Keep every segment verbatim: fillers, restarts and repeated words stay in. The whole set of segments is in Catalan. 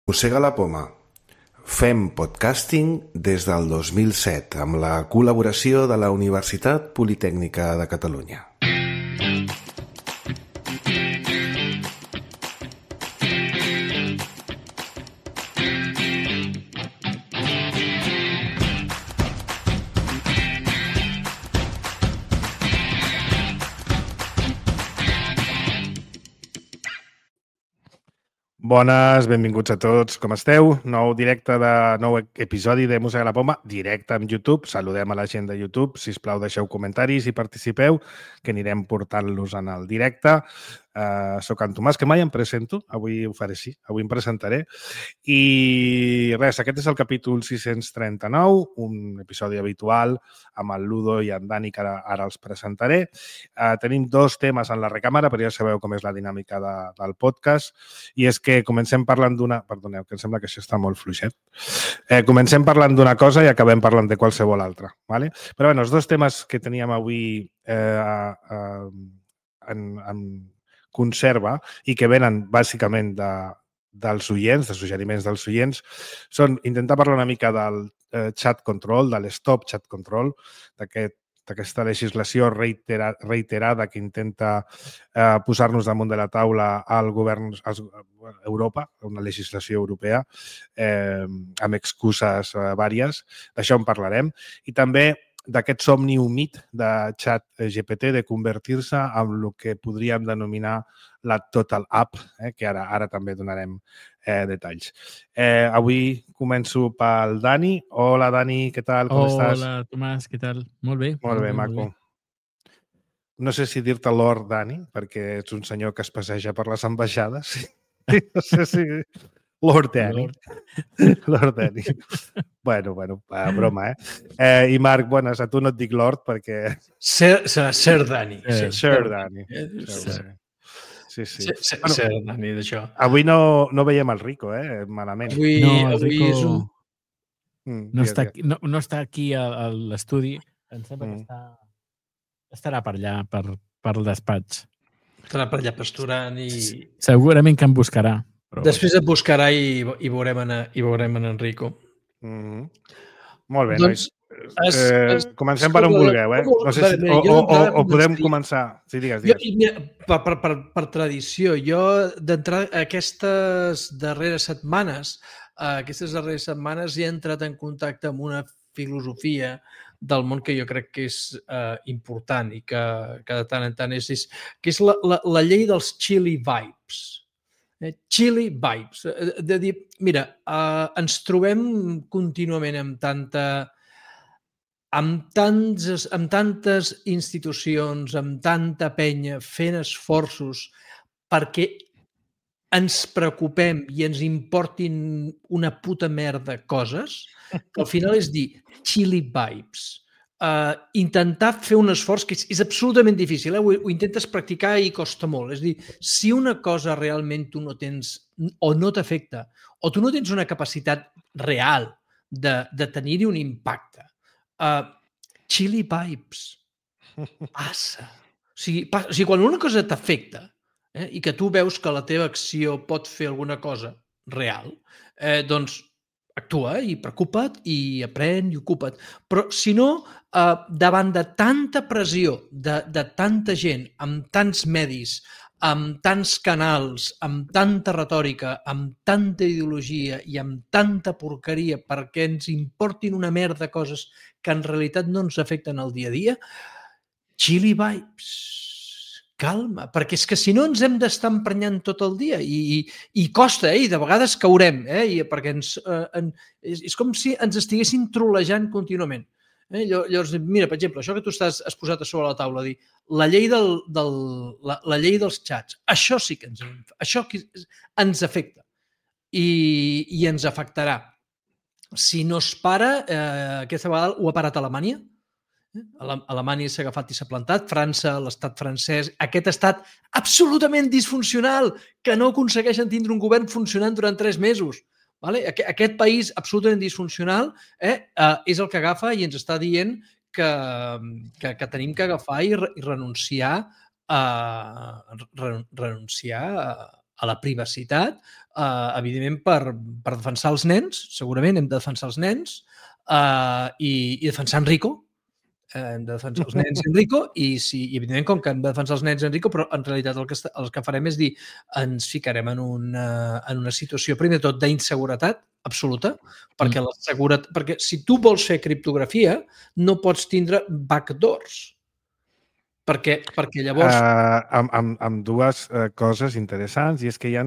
Mossega la poma. Fem podcasting des del dos mil set amb la col·laboració de la Universitat Politècnica de Catalunya. Bones, benvinguts a tots, com esteu? Nou directe de nou episodi de Mossega la Poma, directe amb YouTube. Saludem a la gent de YouTube, sisplau deixeu comentaris i participeu, que anirem portant-los en el directe. Uh, soc en Tomàs, que mai em presento, avui ho faré així, avui em presentaré. I res, aquest és el capítol sis-cents trenta-nou, un episodi habitual amb el Ludo i en Dani, que ara, ara els presentaré. Uh, tenim dos temes en la recàmera, però ja sabeu com és la dinàmica de, del podcast, i és que comencem parlant d'una... Perdoneu, que em sembla que això està molt fluixet. Eh, comencem parlant d'una cosa i acabem parlant de qualsevol altra. ¿Vale? Però bé, els dos temes que teníem avui eh, eh, en, en conserva i que venen bàsicament de, dels oients, de suggeriments dels oients, són intentar parlar una mica del eh, chat control, de l'stop chat control, d'aquest d'aquesta legislació reitera, reiterada que intenta eh, posar-nos damunt de la taula al govern als, a Europa, una legislació europea, eh, amb excuses eh, vàries. D'això en parlarem. I també d'aquest somni humit de xat G P T de convertir-se en el que podríem denominar la Total App, eh, que ara ara també donarem eh, detalls. Eh, avui començo pel Dani. Hola, Dani, què tal? Com Hola, estàs? Hola, Tomàs, què tal? Molt bé. Molt, molt bé, maco. Molt bé. No sé si dir-te Lord Dani, perquè ets un senyor que es passeja per les ambaixades. No sé si... Lord Dani. Lord, Lord Dani. Bueno, bueno, broma, eh? eh? I Marc, bones, a tu no et dic Lord perquè... Ser, serà Sir Dani. Eh, Sir Dani. Sir Dani. Sí, sí. Ser, bueno, Sir Dani, d'això. Avui no, no veiem el Rico, eh? Malament. Avui, no, el avui Rico és un... Mm, no, està aquí, no, no està aquí a, a l'estudi. Em sembla mm. que està... estarà per allà, per, per el despatx. Estarà per allà pasturant i... Segurament que em buscarà. Però... Després et buscarà i, i, veurem en, i veurem en Enrico. Mm -hmm. Molt bé, doncs, nois. Es, es, eh, comencem per on vulgueu, eh? No sé si, o, o, o, o podem començar... Sí, digues, digues. Jo, mira, per, per, per, per tradició, jo d'entrar aquestes darreres setmanes, uh, aquestes darreres setmanes he entrat en contacte amb una filosofia del món que jo crec que és uh, important i que, que de tant en tant és, és que és la, la, la llei dels chili vibes. Eh? Chili vibes. De dir, mira, uh, ens trobem contínuament amb tanta... Amb, tants, amb tantes institucions, amb tanta penya fent esforços perquè ens preocupem i ens importin una puta merda coses, que al final és dir chili vibes. Uh, intentar fer un esforç que és, és absolutament difícil, eh? ho, ho intentes practicar i costa molt. És dir, si una cosa realment tu no tens o no t'afecta o tu no tens una capacitat real de, de tenir-hi un impacte, Uh, chili vibes. Passa. O sigui, passa. O sigui, quan una cosa t'afecta eh, i que tu veus que la teva acció pot fer alguna cosa real, eh, doncs actua i preocupa't i aprèn i ocupa't. Però, si no, eh, davant de tanta pressió, de, de tanta gent, amb tants medis, amb tants canals, amb tanta retòrica, amb tanta ideologia i amb tanta porqueria perquè ens importin una merda de coses que en realitat no ens afecten al dia a dia, chili vibes, calma, perquè és que si no ens hem d'estar emprenyant tot el dia i, i, i costa, eh? I de vegades caurem, eh? I perquè ens, eh, en, és, és com si ens estiguessin trolejant contínuament. Eh? Llavors, mira, per exemple, això que tu estàs, has posat a sobre la taula, dir, la llei, del, del, la, la llei dels xats, això sí que ens, això ens afecta i, i ens afectarà. Si no es para, eh, aquesta vegada ho ha parat Alemanya, eh? Alemanya s'ha agafat i s'ha plantat, França, l'estat francès, aquest estat absolutament disfuncional, que no aconsegueixen tindre un govern funcionant durant tres mesos. Vale? Aquest país absolutament disfuncional eh, eh, és el que agafa i ens està dient que, que, que tenim que agafar i, re, i renunciar, a, re, renunciar a, a la privacitat, uh, evidentment, per, per defensar els nens, segurament hem de defensar els nens uh, i, i defensar Enrico, uh, hem de defensar els nens Enrico i, si, i evidentment, com que hem de defensar els nens Enrico, però en realitat el que, el que farem és dir ens ficarem en una, en una situació, primer de tot, d'inseguretat absoluta, perquè, la seguretat, perquè si tu vols fer criptografia no pots tindre backdoors. Perquè, perquè llavors... Uh, amb, amb, amb dues uh, coses interessants, i és que hi ha...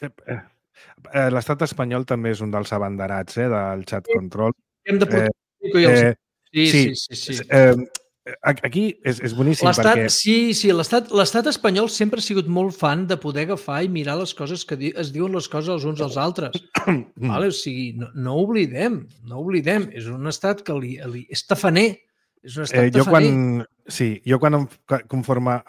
Uh, uh, L'estat espanyol també és un dels abanderats eh, del chat control. Hem de portar... Eh, eh, sí, sí, sí. sí, sí. Eh, aquí és, és boníssim perquè... Sí, sí, l'estat espanyol sempre ha sigut molt fan de poder agafar i mirar les coses que di es diuen les coses els uns als altres. vale? O sigui, no, no oblidem, no oblidem. És un estat que li, li, és tafaner. És un estat eh, jo tafaner. quan, sí, jo quan em conforma...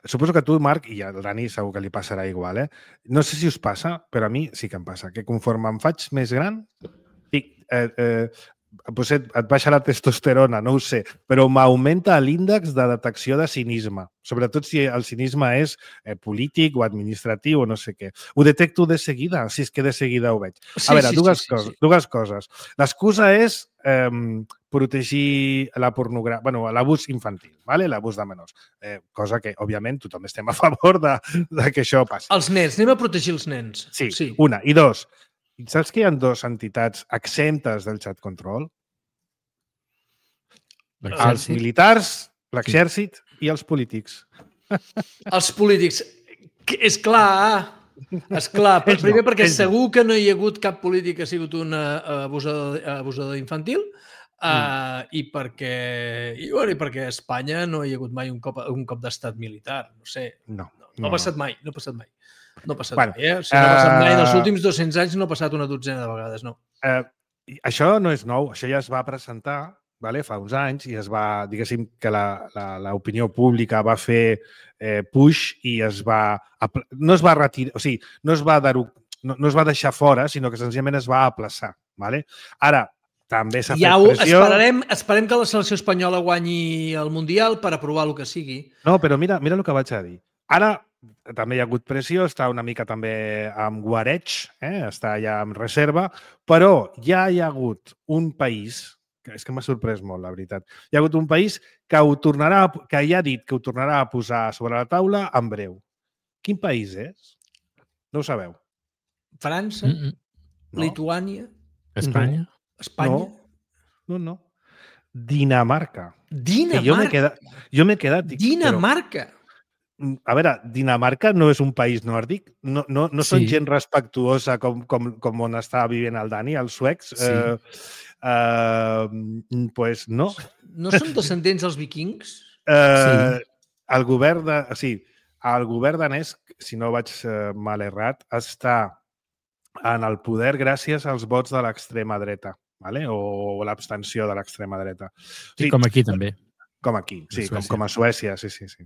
Suposo que tu, Marc, i al Dani segur que li passarà igual, eh? No sé si us passa, però a mi sí que em passa, que conforme em faig més gran, dic, eh, eh, potser et baixa la testosterona, no ho sé, però m'augmenta l'índex de detecció de cinisme, sobretot si el cinisme és eh, polític o administratiu o no sé què. Ho detecto de seguida, si és que de seguida ho veig. Sí, a veure, sí, dues, sí, coses, sí, sí. dues coses. L'excusa és eh, protegir la pornografia, bueno, l'abús infantil, ¿vale? L'abús de menors, eh, cosa que, òbviament, tothom estem a favor de, de que això passi. Els nens, anem a protegir els nens. Sí, sí. una. I dos, saps que hi ha dues entitats exemptes del chat control? Els militars, l'exèrcit sí. i els polítics. Els polítics. És clar, és clar. Primer no, perquè segur no. que no hi ha hagut cap polític que ha sigut un abusador, abusador infantil mm. uh, i, perquè, i, bueno, i perquè a Espanya no hi ha hagut mai un cop, un cop d'estat militar. No sé. No, no, no, no ha passat mai. No ha passat mai. No ha passat bueno, mai, eh? O sigui, no ha passat mai. En els últims dos-cents anys no ha passat una dotzena de vegades, no. Uh, això no és nou. Això ja es va presentar vale, fa uns anys i es va, diguéssim, que l'opinió pública va fer eh, push i es va... No es va retirar, o sigui, no es va, no, no es va deixar fora, sinó que senzillament es va aplaçar. Vale? Ara, també s'ha ja fet pressió... Esperarem, esperem que la selecció espanyola guanyi el Mundial per aprovar el que sigui. No, però mira, mira el que vaig a dir. Ara també hi ha hagut pressió, està una mica també amb guareig, eh? Està ja en reserva, però ja hi ha hagut un país, que és que m'ha sorprès molt, la veritat, hi ha hagut un país que, ho tornarà, que ja ha dit que ho tornarà a posar sobre la taula en breu. Quin país és? No ho sabeu. França? Mm -mm. No. Lituània? Espanya? No. Espanya? No, no. no. Dinamarca. Dinamarca? Jo m'he quedat... Dic, Dinamarca? Però, a veure, Dinamarca no és un país nòrdic? No, no, no són sí. gent respectuosa com, com, com on està vivint el Dani, els suecs? Sí. Eh, eh, pues no. No són descendents dels vikings? Eh, sí. El govern de... O sigui, el govern danès, si no vaig eh, mal errat, està en el poder gràcies als vots de l'extrema dreta, ¿vale? O l'abstenció de l'extrema dreta. Sí, sí, com aquí també. Com aquí, sí, com, com a Suècia, sí, sí. sí.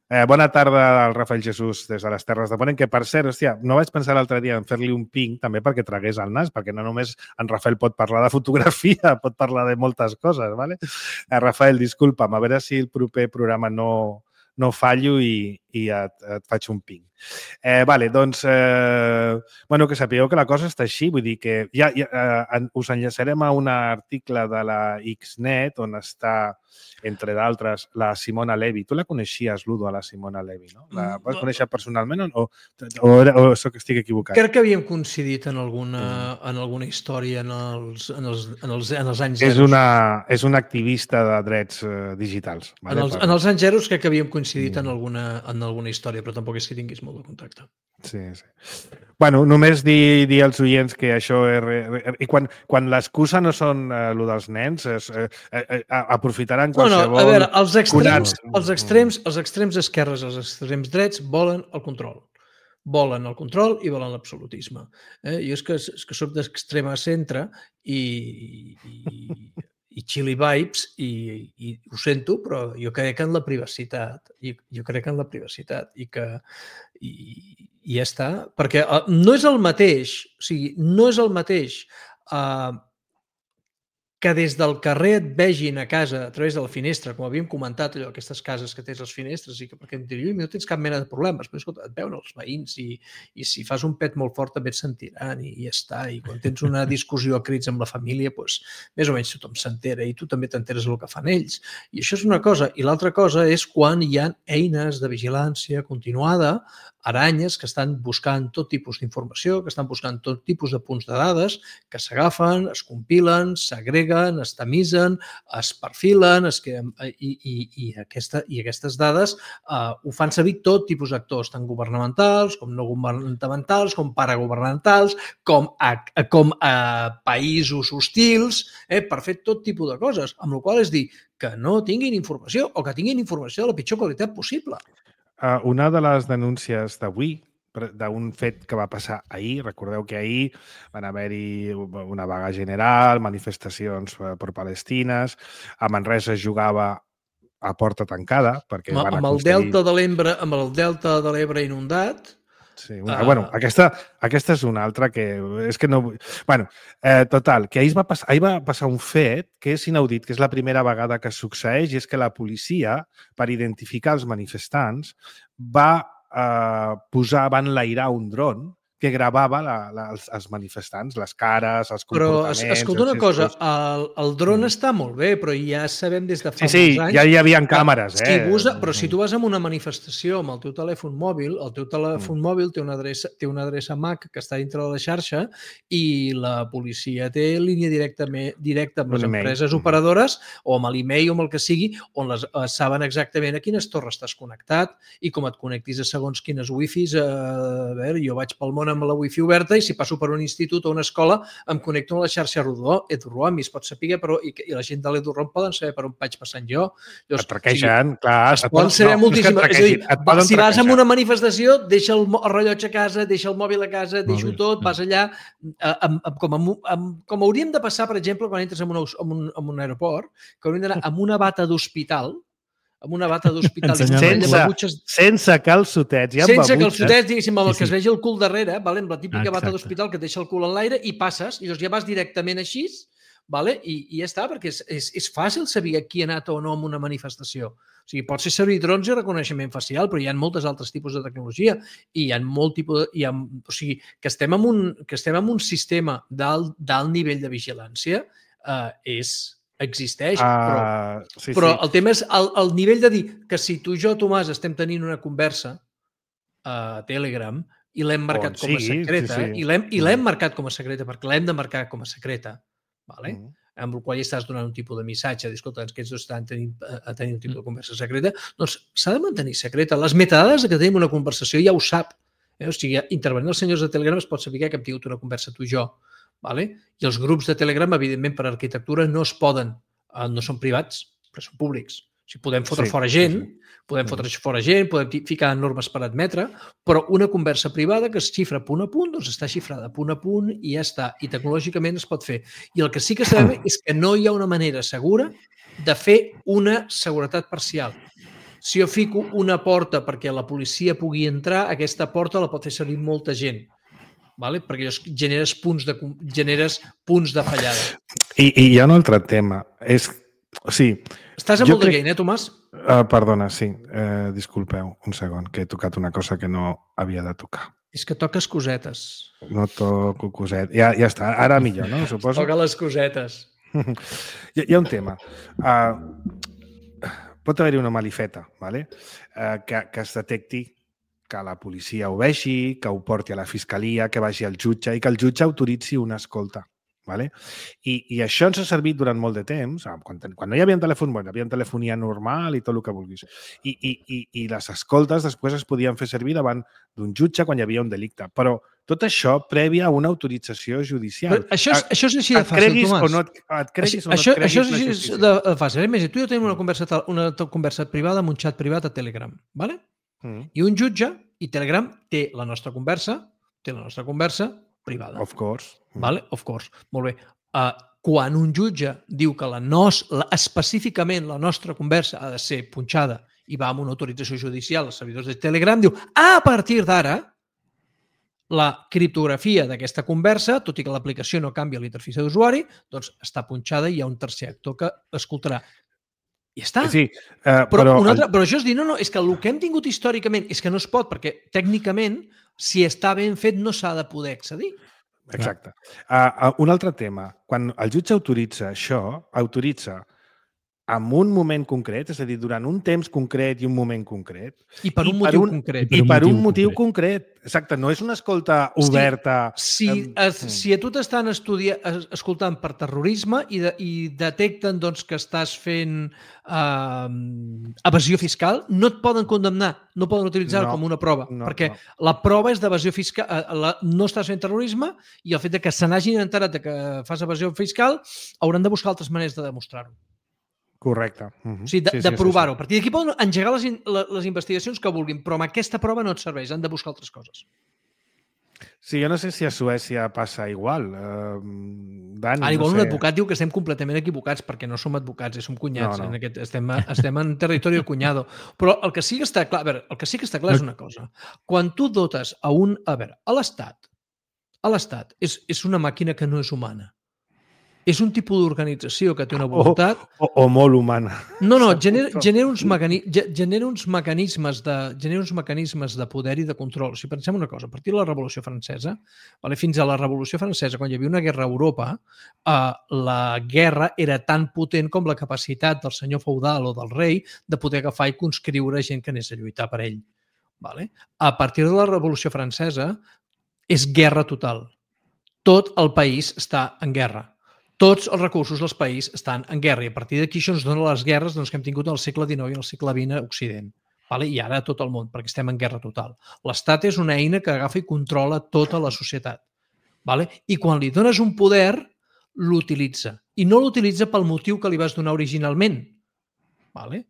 Eh, bona tarda al Rafael Jesús des de les Terres de Ponent, que per cert, hòstia, no vaig pensar l'altre dia en fer-li un ping també perquè tragués el nas, perquè no només en Rafael pot parlar de fotografia, pot parlar de moltes coses, ¿vale? Eh, Rafael, disculpa'm, a veure si el proper programa no, no fallo i, i et, et faig un ping. Eh, vale, doncs, eh, bueno, que sapigueu que la cosa està així, vull dir que ja, ja eh, us enllaçarem a un article de la Xnet on està, entre d'altres, la Simona Levi. Tu la coneixies, Ludo, a la Simona Levi, no? La vas conèixer personalment o, o, o, o soc, estic equivocat? Crec que havíem coincidit en alguna, en alguna història en els, en els, en els, en els anys zeros. És una, és una activista de drets eh, digitals. Vale? En, els, en els anys zeros crec que havíem coincidit en alguna, en alguna història, però tampoc és que tinguis molt de contacte. Sí, sí. Bueno, només dir, dir als oients que això és... I quan, quan l'excusa no són eh, el dels nens, és, eh, eh, aprofitaran qualsevol... No, no, a veure, els extrems, els extrems, els extrems esquerres, els extrems drets volen el control. Volen el control i volen l'absolutisme. Eh? Jo és que, és que soc d'extrema centre i, i, i chili vibes i, i ho sento, però jo crec en la privacitat. I, jo crec en la privacitat i que... I, i ja està, perquè uh, no és el mateix, o sigui, no és el mateix uh, que des del carrer et vegin a casa a través de la finestra, com havíem comentat, allò, aquestes cases que tens les finestres i que perquè em diria, no tens cap mena de problemes, però escolta, et veuen els veïns i, i si fas un pet molt fort també et sentiran i, i ja està. I quan tens una discussió a crits amb la família, doncs, més o menys tothom s'entera i tu també t'enteres del que fan ells. I això és una cosa. I l'altra cosa és quan hi ha eines de vigilància continuada, aranyes que estan buscant tot tipus d'informació, que estan buscant tot tipus de punts de dades, que s'agafen, es compilen, s'agreguen, es tamisen, es perfilen, es queden, i, i, i, aquesta, i aquestes dades uh, ho fan servir tot tipus d'actors, tant governamentals, com no governamentals, com paragovernamentals, com a, com a països hostils, eh, per fer tot tipus de coses, amb la qual és dir que no tinguin informació o que tinguin informació de la pitjor qualitat possible. Uh, una de les denúncies d'avui, d'un fet que va passar ahir, recordeu que ahir van haver-hi una vaga general, manifestacions per Palestines, a Manresa es jugava a porta tancada, perquè amb, van amb el aconseguir... delta de l'Ebre, amb el delta de l'Ebre inundat. Sí, una, uh... bueno, aquesta, aquesta és una altra que és que no... Bueno, eh, total, que ahir va, passar, ahir va passar un fet que és inaudit, que és la primera vegada que succeeix, i és que la policia, per identificar els manifestants, va eh, posar, va enlairar un dron que gravava la, la, els, els manifestants, les cares, els comportaments... Però, escolta una cosa, el, el dron mm. està molt bé, però ja sabem des de fa sí, sí, molts anys... Sí, ja hi havia càmeres, si eh? Usa, però si tu vas a una manifestació amb el teu telèfon mòbil, el teu telèfon mm. mòbil té una, adreça, té una adreça M A C que està dintre de la xarxa i la policia té línia directa, directa amb les empreses operadores o amb l'e-mail o amb el que sigui, on les, eh, saben exactament a quines torres estàs connectat i com et connectis a segons quines wifis. Eh, a veure, jo vaig pel món amb la wifi oberta i si passo per un institut o una escola em connecto a la xarxa EduRoam i es pot saber, però i, i la gent de l'EduRoam poden saber per on vaig passant jo. Llavors, et traquegen, o sigui, clar. Es poden saber no, moltíssim. És a dir, si vas a una manifestació, deixa el, el rellotge a casa, deixa el mòbil a casa, deixa-ho tot, vas allà, amb, amb, com, amb, amb, com hauríem de passar, per exemple, quan entres en un, en un, en un aeroport, que hauríem d'anar amb una bata d'hospital, amb una bata d'hospital sense, babutxes... sense calçotets i amb sense babutxes. calçotets, diguéssim, amb el que es vegi el cul darrere, vale? Amb la típica bata d'hospital que et deixa el cul en l'aire i passes, i llavors ja vas directament així, vale? I, i ja està, perquè és, és, és fàcil saber qui ha anat o no en una manifestació. O sigui, pot ser servir drons i reconeixement facial, però hi ha moltes altres tipus de tecnologia i hi ha molt tipus de, hi ha, o sigui, que estem en un, que estem en un sistema d'alt nivell de vigilància eh, és existeix, però, uh, sí, però sí. el tema és el, el nivell de dir que si tu i jo, Tomàs, estem tenint una conversa a Telegram i l'hem marcat com a secreta, sí, sí. i l'hem i l'hem marcat com a secreta, perquè l'hem de marcar com a secreta, vale? Mm. amb el qual ja estàs donant un tipus de missatge, escolta, aquests dos estan tenint, a tenir un tipus de conversa secreta, doncs s'ha de mantenir secreta. Les metadades que tenim una conversació ja ho sap. Eh? O sigui, intervenint els senyors de Telegram es pot saber que hem tingut una conversa tu i jo. Vale? I els grups de Telegram, evidentment, per arquitectura no es poden, no són privats, però són públics. O sigui, podem fotre sí, fora gent, sí, sí. podem fotre fora gent, podem ficar normes per admetre, però una conversa privada que es xifra punt a punt, doncs està xifrada punt a punt i ja està. I tecnològicament es pot fer. I el que sí que sabem és que no hi ha una manera segura de fer una seguretat parcial. Si jo fico una porta perquè la policia pugui entrar, aquesta porta la pot fer servir molta gent. Vale? Perquè generes punts de, generes punts de fallada. I, i hi ha un altre tema. És, o sigui, Estàs a molt crec... de gain, eh, Tomàs? Uh, perdona, sí. Uh, disculpeu un segon, que he tocat una cosa que no havia de tocar. És que toques cosetes. No toco cosetes. Ja, ja està, ara millor, no? Suposo. Toca les cosetes. hi, hi ha un tema. Uh, pot haver-hi una malifeta, vale? uh, que, que es detecti que la policia ho vegi, que ho porti a la fiscalia, que vagi al jutge i que el jutge autoritzi una escolta. Vale? I, I això ens ha servit durant molt de temps, quan, quan no hi havia telèfon, bueno, hi havia telefonia normal i tot el que vulguis. I, i, i, i les escoltes després es podien fer servir davant d'un jutge quan hi havia un delicte. Però tot això prèvia a una autorització judicial. Però això, és, això és així de fàcil, Tomàs. O no et, et creguis això, o no et creguis això és així de fàcil. Imagina, tu i jo tenim una conversa, una conversa privada amb un xat privat a Telegram. Vale? Mm. I un jutge i Telegram té la nostra conversa, té la nostra conversa privada. Of course. Vale? Of course. Molt bé. Uh, quan un jutge diu que la nos, la, específicament la nostra conversa ha de ser punxada i va amb una autorització judicial als servidors de Telegram, diu, a partir d'ara, la criptografia d'aquesta conversa, tot i que l'aplicació no canvia l'interfície d'usuari, doncs està punxada i hi ha un tercer actor que escoltarà. I ja està. Sí, uh, però, però, un altre, el... però això és dir, no, no, és que el que hem tingut històricament és que no es pot, perquè tècnicament, si està ben fet, no s'ha de poder accedir. Exacte. Uh, uh, un altre tema. Quan el jutge autoritza això, autoritza en un moment concret, és a dir, durant un temps concret i un moment concret. I per un motiu concret. I per un motiu concret. Exacte, no és una escolta oberta. Si, si, es, si a tu t'estan escoltant per terrorisme i, de, i detecten doncs, que estàs fent uh, evasió fiscal, no et poden condemnar, no poden utilitzar-ho no, com una prova, no, perquè no. la prova és d'evasió fiscal, la, no estàs fent terrorisme i el fet de que se n'hagin enterat que fas evasió fiscal hauran de buscar altres maneres de demostrar-ho. Correcte. Uh-huh. O sigui, de, sí, de sí, provar-ho. sí, sí. A partir d'aquí poden engegar les, les investigacions que vulguin, però amb aquesta prova no et serveix, han de buscar altres coses. Sí, jo no sé si a Suècia passa igual. Uh, Dani, Ara, igual no sé. Un advocat diu que estem completament equivocats perquè no som advocats, som cunyats. No, no. En aquest, estem, estem en territori del cunyado. Però el que sí que està clar, a veure, el que sí que està clar és una cosa. Quan tu dotes a un... A veure, a l'Estat, a l'Estat és, és una màquina que no és humana. És un tipus d'organització que té una voluntat... O, o, o molt humana. No, no, genera, genera, uns mecani, genera, uns mecanismes de, genera uns mecanismes de poder i de control. Si pensem una cosa, a partir de la Revolució Francesa, vale, fins a la Revolució Francesa, quan hi havia una guerra a Europa, eh, la guerra era tan potent com la capacitat del senyor feudal o del rei de poder agafar i conscriure gent que anés a lluitar per ell. Vale? A partir de la Revolució Francesa és guerra total. Tot el país està en guerra. Tots els recursos del país estan en guerra i a partir d'aquí això ens dona les guerres doncs, que hem tingut al segle dinou i al segle vint a Occident. Vale? I ara a tot el món, perquè estem en guerra total. L'Estat és una eina que agafa i controla tota la societat. Vale? I quan li dones un poder, l'utilitza. I no l'utilitza pel motiu que li vas donar originalment. Vale?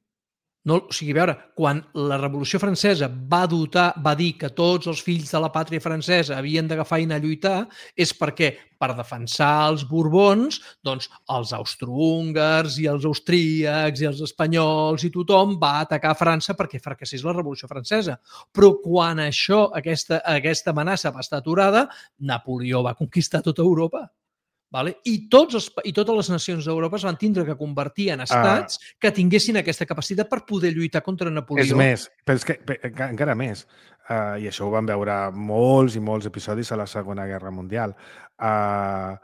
No, o sigui, a veure, quan la Revolució Francesa va dotar, va dir que tots els fills de la pàtria francesa havien d'agafar i anar a lluitar, és perquè, per defensar els Borbons, doncs els austrohúngars i els austríacs i els espanyols i tothom va atacar França perquè fracassés la Revolució Francesa. Però quan això, aquesta, aquesta amenaça va estar aturada, Napoleó va conquistar tota Europa. Vale? I, tots els, I totes les nacions d'Europa es van tindre que convertir en estats uh, que tinguessin aquesta capacitat per poder lluitar contra Napoleó. És més, però és que encara més, uh, i això ho vam veure molts i molts episodis a la Segona Guerra Mundial, uh,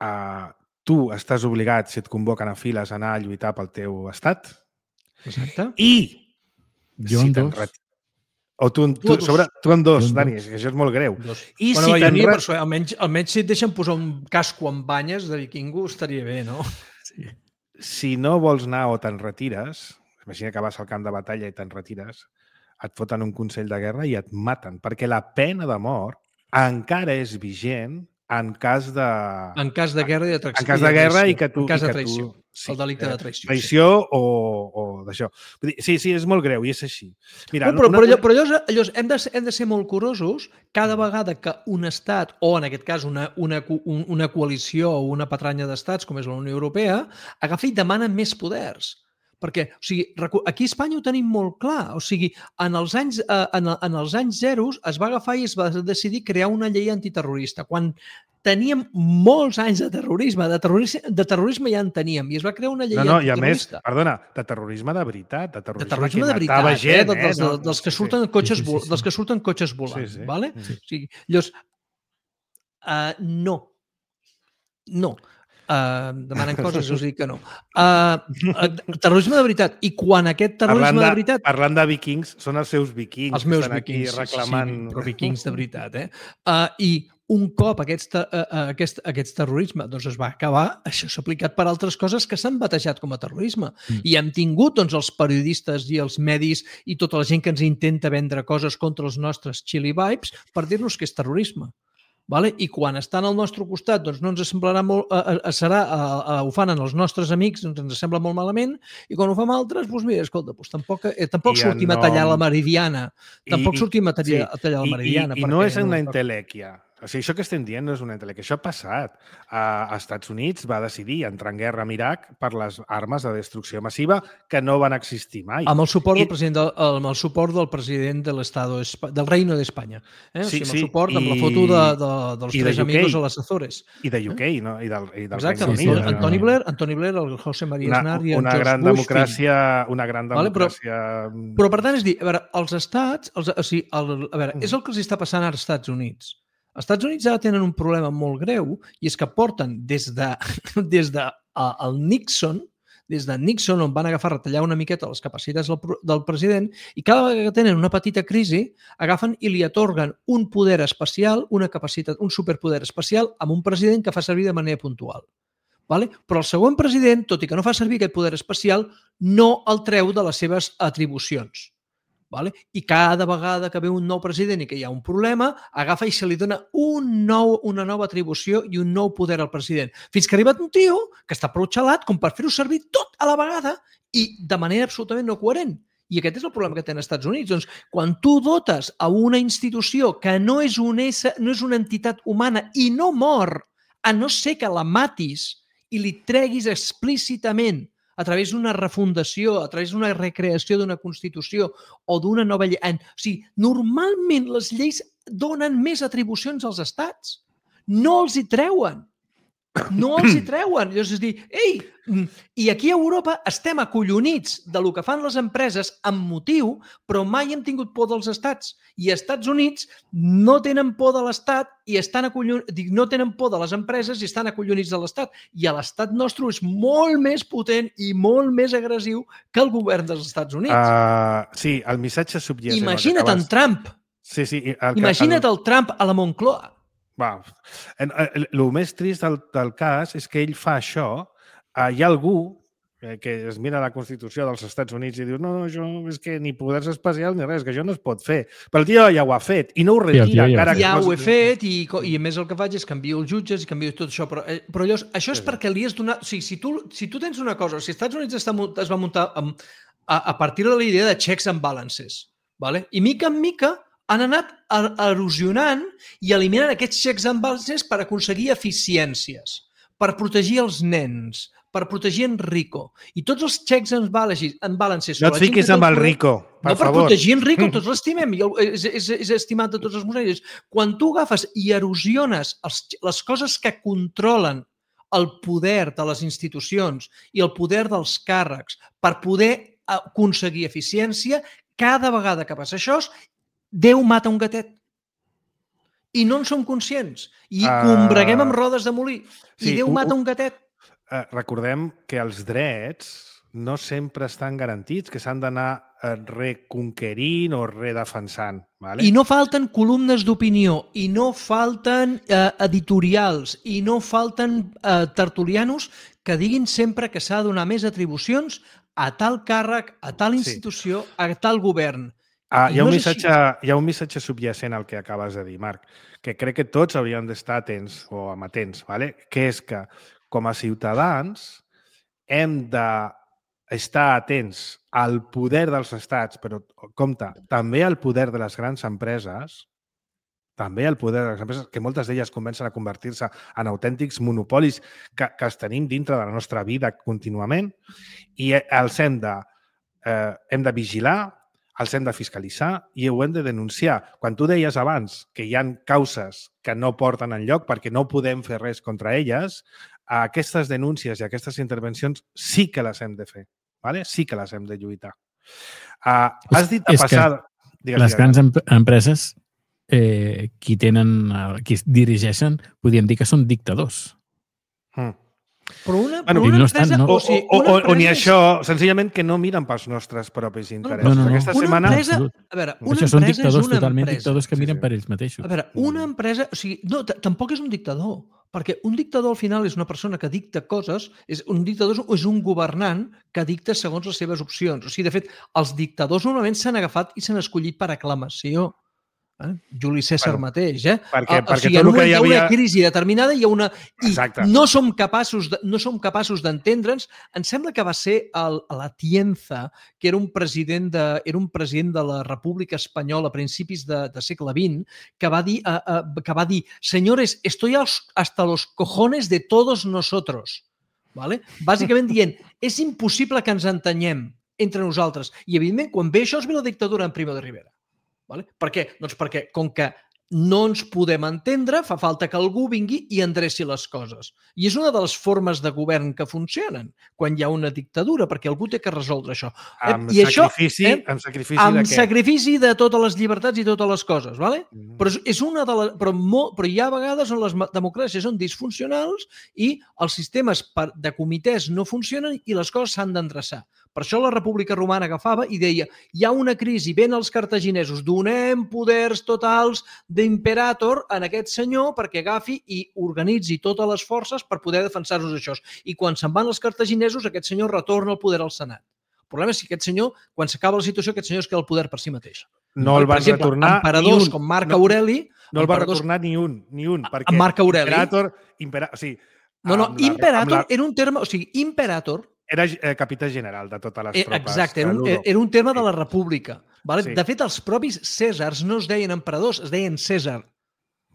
uh, tu estàs obligat, si et convoquen a files, a anar a lluitar pel teu estat. Exacte. I jo si en dos. Ret... O tu, tu, tu, sobre, tu en dos, Dani, que això és molt greu. Dos. I bueno, si jo ni, re... per això, almenys, almenys si et deixen posar un casco amb banyes de vikingo estaria bé, no? Sí. Si no vols anar o te'n retires, imagina que vas al camp de batalla i te'n retires, et foten un consell de guerra i et maten, perquè la pena de mort encara és vigent en cas de... En cas de guerra i de traïció. En cas de guerra i que tu... En cas de tu, traïció. sí, el delicte de traïció. Traïció sí. o, o d'això. Sí, sí, és molt greu i és així. Mira, no, però, una... però, allò, però allò, allò, hem, de, hem de ser molt curosos cada vegada que un estat, o en aquest cas una, una, una coalició o una patranya d'estats, com és la Unió Europea, agafa i demana més poders. Perquè, o sigui, aquí a Espanya ho tenim molt clar. O sigui, en els anys, en, en els anys zeros es va agafar i es va decidir crear una llei antiterrorista. Quan teníem molts anys de terrorisme, de terrorisme, de terrorisme ja en teníem, i es va crear una llei no, no, antiterrorista. I a més, perdona, de terrorisme de veritat, de terrorisme, de terrorisme de veritat, gent, eh? Dels, eh? No, dels, que sí, surten sí. cotxes, Sí, sí, sí. dels que surten cotxes volant, sí, sí. vale? Sí. O sigui, llavors, uh, no, no. Uh, demanen coses, us dic que no. Uh, uh, terrorisme de veritat. I quan aquest terrorisme parlant de, de veritat... Parlant de vikings, són els seus vikings els meus que estan vikings, aquí reclamant... Sí, sí, però vikings de veritat, eh? Uh, I un cop aquest, uh, aquest, aquest terrorisme doncs es va acabar, això s'ha aplicat per altres coses que s'han batejat com a terrorisme. Mm. I hem tingut doncs, els periodistes i els medis i tota la gent que ens intenta vendre coses contra els nostres chili vibes per dir-nos que és terrorisme. Vale? I quan estan al nostre costat doncs no ens semblarà molt, eh, eh, serà, eh, ho fan en els nostres amics, doncs ens sembla molt malament, i quan ho fem altres, doncs mira, escolta, doncs tampoc, eh, tampoc sortim nom... a tallar la meridiana, tampoc I, sortim a tallar, sí. a tallar la meridiana. I, i, i no és una entelèquia. O sigui, això que estem dient no és una tele, que això ha passat. A Estats Units va decidir entrar en guerra amb Iraq per les armes de destrucció massiva que no van existir mai. Amb el suport, I... del, president del, amb el suport del president de l'Estado, del Reino d'Espanya. Eh? Sí, o sigui, amb sí. el suport, I... amb la foto de, de, dels I tres de amigos a les Azores. I de U K, eh? no? I del, i del Exacte, Regne sí, Unit. sí, Antoni Blair, Antoni Blair, el José María una, Aznar i el una George gran Bush. democràcia, una gran democràcia... Vale, però, però per tant, és dir, a veure, els estats, els, o sigui, el, a veure, és el que els està passant ara als Estats Units. Els Estats Units ara tenen un problema molt greu i és que porten des de, des de uh, el Nixon, des de Nixon, on van agafar a retallar una miqueta les capacitats del, del president, i cada vegada que tenen una petita crisi, agafen i li atorguen un poder especial, una capacitat, un superpoder especial amb un president que fa servir de manera puntual. Vale? Però el següent president, tot i que no fa servir aquest poder especial, no el treu de les seves atribucions. Vale? I cada vegada que ve un nou president i que hi ha un problema, agafa i se li dona un nou, una nova atribució i un nou poder al president. Fins que ha arribat un tio que està prou xalat com per fer-ho servir tot a la vegada i de manera absolutament no coherent. I aquest és el problema que tenen els Estats Units. Doncs, quan tu dotes a una institució que no és, un ésser, no és una entitat humana i no mor, a no ser que la matis i li treguis explícitament a través d'una refundació, a través d'una recreació d'una Constitució o d'una nova llei. O sigui, normalment les lleis donen més atribucions als estats. No els hi treuen. No els hi treuen. Llavors és dir, ei, i aquí a Europa estem acollonits del que fan les empreses amb motiu, però mai hem tingut por dels estats. I als Estats Units no tenen por de l'estat i estan acollonits, no tenen por de les empreses i estan acollonits de l'estat. I a l'estat nostre és molt més potent i molt més agressiu que el govern dels Estats Units. Uh, sí, el missatge subjacent... Imagina't en Trump. Sí, sí, el, Imagina't el... el Trump a la Moncloa. Va. El, el més trist del, del cas és que ell fa això. Uh, hi ha algú eh, que es mira la Constitució dels Estats Units i diu no, no, això és que ni poders especials ni res, que això no es pot fer. Però el tio ja ho ha fet i no ho retira. Sí, ja, encara ja que ho he fet i, i a més el que faig és canviar els jutges i canviar tot això. Però, eh, però llavors, això és sí, perquè li has donat... O sigui, si tu, si tu tens una cosa, si els Estats Units està, es va muntar amb, a, a partir de la idea de checks and balances, vale? I mica en mica han anat erosionant i eliminant aquests checks and balances per aconseguir eficiències, per protegir els nens, per protegir en Rico. I tots els checks and balances... No et fiquis amb el Rico, per no, per favor. protegir en Rico, tots l'estimem, és, és, és estimat de tots els monells. Quan tu agafes i erosiones els, les coses que controlen el poder de les institucions i el poder dels càrrecs per poder aconseguir eficiència, cada vegada que passa això, Déu mata un gatet. I no en som conscients. I uh, combreguem amb rodes de molí. I sí, Déu mata un gatet. Uh, recordem que els drets no sempre estan garantits, que s'han d'anar uh, reconquerint o redefensant. Vale? I no falten columnes d'opinió, i no falten uh, editorials, i no falten uh, tertulianos que diguin sempre que s'ha de donar més atribucions a tal càrrec, a tal institució, sí. a tal govern. Ah, hi, ha no un missatge, hi ha un missatge subjacent al que acabes de dir, Marc, que crec que tots hauríem d'estar atents o amatents, ¿vale? Que és que com a ciutadans hem d'estar atents al poder dels estats, però, compte, també al poder de les grans empreses, també al poder de les empreses, que moltes d'elles comencen a convertir-se en autèntics monopolis que, que els tenim dintre de la nostra vida contínuament i els hem de, eh, hem de vigilar, els hem de fiscalitzar i ho hem de denunciar. Quan tu deies abans que hi ha causes que no porten enlloc perquè no podem fer res contra elles, aquestes denúncies i aquestes intervencions sí que les hem de fer. ¿Vale? Sí que les hem de lluitar. Uh, has dit a passar... Digues, les grans digues. empreses, eh, qui tenen, qui dirigeixen, podríem dir que són dictadors. Mm. Però una, bueno, però una no empresa... estan, no? O, o, o, o, o ni això, senzillament que no miren pels nostres propis interessos. No, no, no. Aquesta una setmana... Empresa, a veure, una això són empresa dictadors és una totalment empresa. dictadors que miren sí, sí. per ells mateixos. A veure, una empresa... O sigui, no, tampoc és un dictador, perquè un dictador al final és una persona que dicta coses, és un dictador és un governant que dicta segons les seves opcions. O sigui, de fet, els dictadors normalment s'han agafat i s'han escollit per aclamació. Eh? Juli César Bueno, mateix, eh? perquè- o, o perquè sigui, tot en el un que moment hi hi ha una havia- crisi determinada i hi ha una... I Exacte. no som capaços de, no som capaços d'entendre'ns. Em sembla que va ser el, l'Atienza, que era un president de, era un president de la República Espanyola a principis de, de segle vint, que va dir, uh, uh, que va dir señores, estoy hasta los cojones de todos nosotros. ¿Vale? Bàsicament dient, és impossible que ens entenyem entre nosaltres. I, evidentment, quan ve això, es ve la dictadura en Primo de Rivera. Vale? Per què? Doncs perquè, com que no ens podem entendre, fa falta que algú vingui i endreci les coses. I és una de les formes de govern que funcionen quan hi ha una dictadura, perquè algú té que resoldre això. Amb I sacrifici, això, eh, amb sacrifici amb de què? sacrifici de totes les llibertats i totes les coses, ¿vale? Mm. Però, és una de les, però, molt, però hi ha vegades on les democràcies són disfuncionals i els sistemes de comitès no funcionen i les coses s'han d'endreçar. Per això la República Romana agafava i deia hi ha una crisi, ven els cartaginesos, donem poders totals d'imperator en aquest senyor perquè agafi i organitzi totes les forces per poder defensar-nos d'això. I quan se'n van els cartaginesos, aquest senyor retorna el poder al Senat. El problema és que aquest senyor, quan s'acaba la situació, aquest senyor es queda el poder per si mateix. No el Per van exemple, retornar ni emperadors un. com Marc No- Aureli... No el va emperadors- retornar ni un, ni un, perquè Marc Aureli? Imperator, impera, o sigui, No, no, amb la- imperator amb la- era un terme... O sigui, imperator era eh, capità general de totes les Eh, tropes. Exacte, era un, de l'U R O. era un terme de la República. Vale? Sí. De fet, els propis Cèsars no es deien emperadors, es deien Cèsar,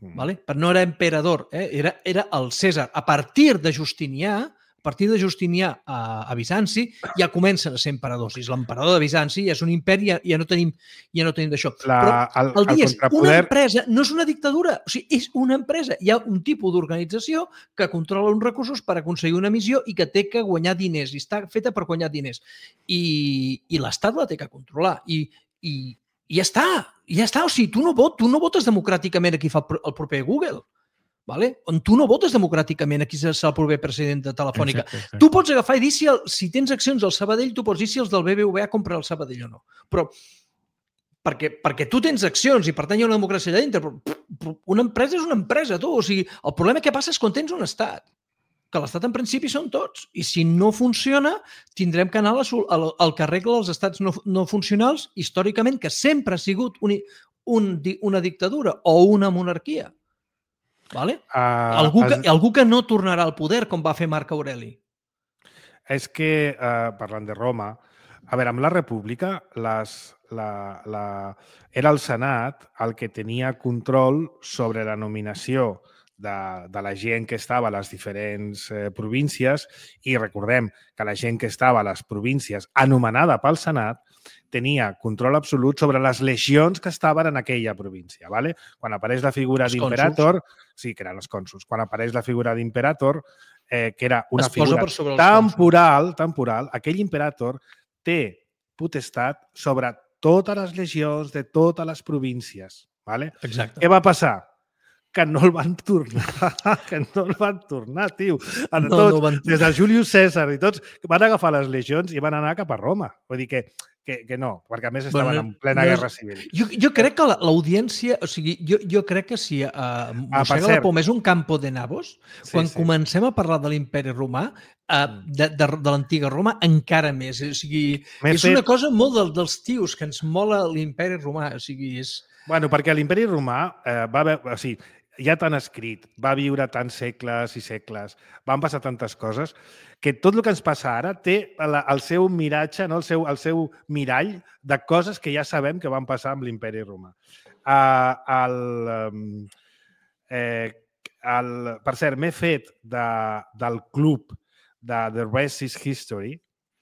Mm. vale? Però no era emperador, eh? era, era el Cèsar. A partir de Justinià, a partir de Justinià a, a Bizanci, ja comencen a ser emperadors. I és l'emperador de Bizanci, ja és un imperi, ja, ja no tenim, ja no tenim d'això. La- Però el- el dia el és, una contrapoder- empresa no és una dictadura, o sigui, és una empresa. Hi ha un tipus d'organització que controla uns recursos per aconseguir una missió i que té que guanyar diners, i està feta per guanyar diners. I, i l'Estat la té que controlar. I, i, i ja està, i ja està. O sigui, tu no, vot, tu no votes democràticament a qui fa el, pro- el proper Google. Vale? On tu no votes democràticament a qui serà el proper president de Telefònica. Exacte, exacte. Tu pots agafar i dir si, el, si tens accions al Sabadell, tu pots dir si els del B B V A compren el Sabadell o no. Però perquè, perquè tu tens accions i per tant hi ha una democràcia allà dintre, però, però una empresa és una empresa, tu. O sigui, el problema que passa és quan tens un estat, que l'estat en principi són tots. I si no funciona, tindrem que anar a la, sol- al, al que arregla els estats no, no funcionals, històricament, que sempre ha sigut un, un, di- una dictadura o una monarquia. Vale? Uh, Algú que, es, algú que no tornarà al poder, com va fer Marc Aureli. és que, uh, parlant de Roma, a veure, amb la República, les, la, la, era el Senat el que tenia control sobre la nominació de, de la gent que estava a les diferents eh, províncies i recordem que la gent que estava a les províncies anomenada pel Senat tenia control absolut sobre les legions que estaven en aquella província. ¿vale? Quan apareix la figura Els d'imperator, sí, que eren els cònsols, quan apareix la figura d'imperator, eh, que era una Es posa figura per sobre els temporal, temporal, aquell imperator té potestat sobre totes les legions de totes les províncies. ¿vale? Exacte. Què va passar? Que no el van tornar, que no el van tornar, tio. A No, tots, no van- des del Julius Cèsar i tots, van agafar les legions i van anar cap a Roma. Vull dir que, que, que no, perquè a més estaven Bueno, en plena no és- guerra civil. Jo, jo crec que la- l'audiència, o sigui, jo, jo crec que si uh, per Mossega la cert. Poma és un campo de nabos, Sí, quan sí. comencem a parlar de l'imperi romà, uh, de, de, de l'antiga Roma, encara més. O sigui, M'he és fet- una cosa molt del, dels tios que ens mola l'imperi romà. O sigui, és... Bueno, perquè l'imperi romà eh, va haver... O sigui, ja tan escrit, va viure tants segles i segles, van passar tantes coses, que tot el que ens passa ara té la, el seu miratge, no? el, seu, el seu mirall de coses que ja sabem que van passar amb l'imperi romà. Uh, el, um, eh, el, per cert, m'he fet de, del club de The Rest is History,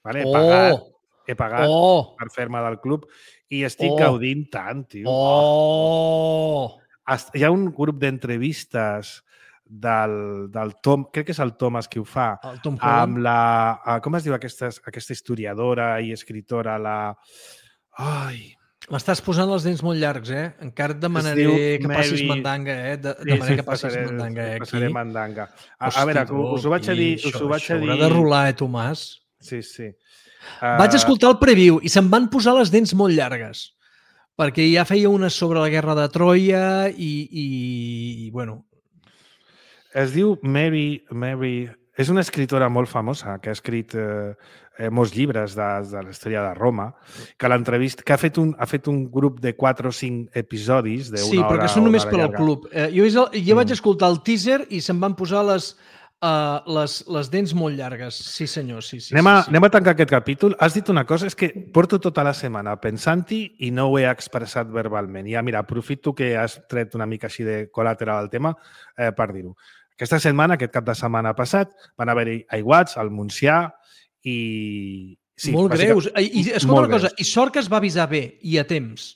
vale? he pagat, he pagat Oh! per fer-me del club i estic Oh. gaudint tant, tio. Oh! Est- Hi ha un grup d'entrevistes del, del Tom, crec que és el Thomas qui ho fa, El Tom amb Holland. la... ah, Com es diu aquesta, aquesta historiadora i escritora, la... Ai... M'estàs posant els dents molt llargs, eh? Encara et demanaré diu que passis Mary- mandanga, eh? De, demanaré que passis passaré- mandanga, eh? Passaré Aquí. mandanga. A, Hosti, a veure, tu, us ho vaig a dir... aquí, Us ho vaig això a dir... haurà de rolar, eh, Tomàs? Sí, sí. Vaig Uh, escoltar el preview i se'm van posar les dents molt llargues perquè ja feia una sobre la guerra de Troia i, i, i bueno... Es diu Mary, Mary és una escritora molt famosa que ha escrit eh, eh, molts llibres de, de la història de Roma, que l'entrevista, que ha fet, un, ha fet un grup de quatre o cinc episodis d'una sí, hora. Sí, però que són només per al llarga. club. Eh, jo jo mm. vaig escoltar el teaser i se'm van posar les, uh, les, les dents molt llargues. Sí, senyor, sí, sí. Anem a, sí, sí. anem a tancar aquest capítol. Has dit una cosa, és que porto tota la setmana pensant-hi i no ho he expressat verbalment. Ja, mira, aprofito que has tret una mica així de col·lateral al tema eh, per dir-ho. Aquesta setmana, aquest cap de setmana passat, van haver-hi aiguats al Montsià i... Sí, molt greus. I, i escolta una cosa, greus. I sort que es va avisar bé i a temps.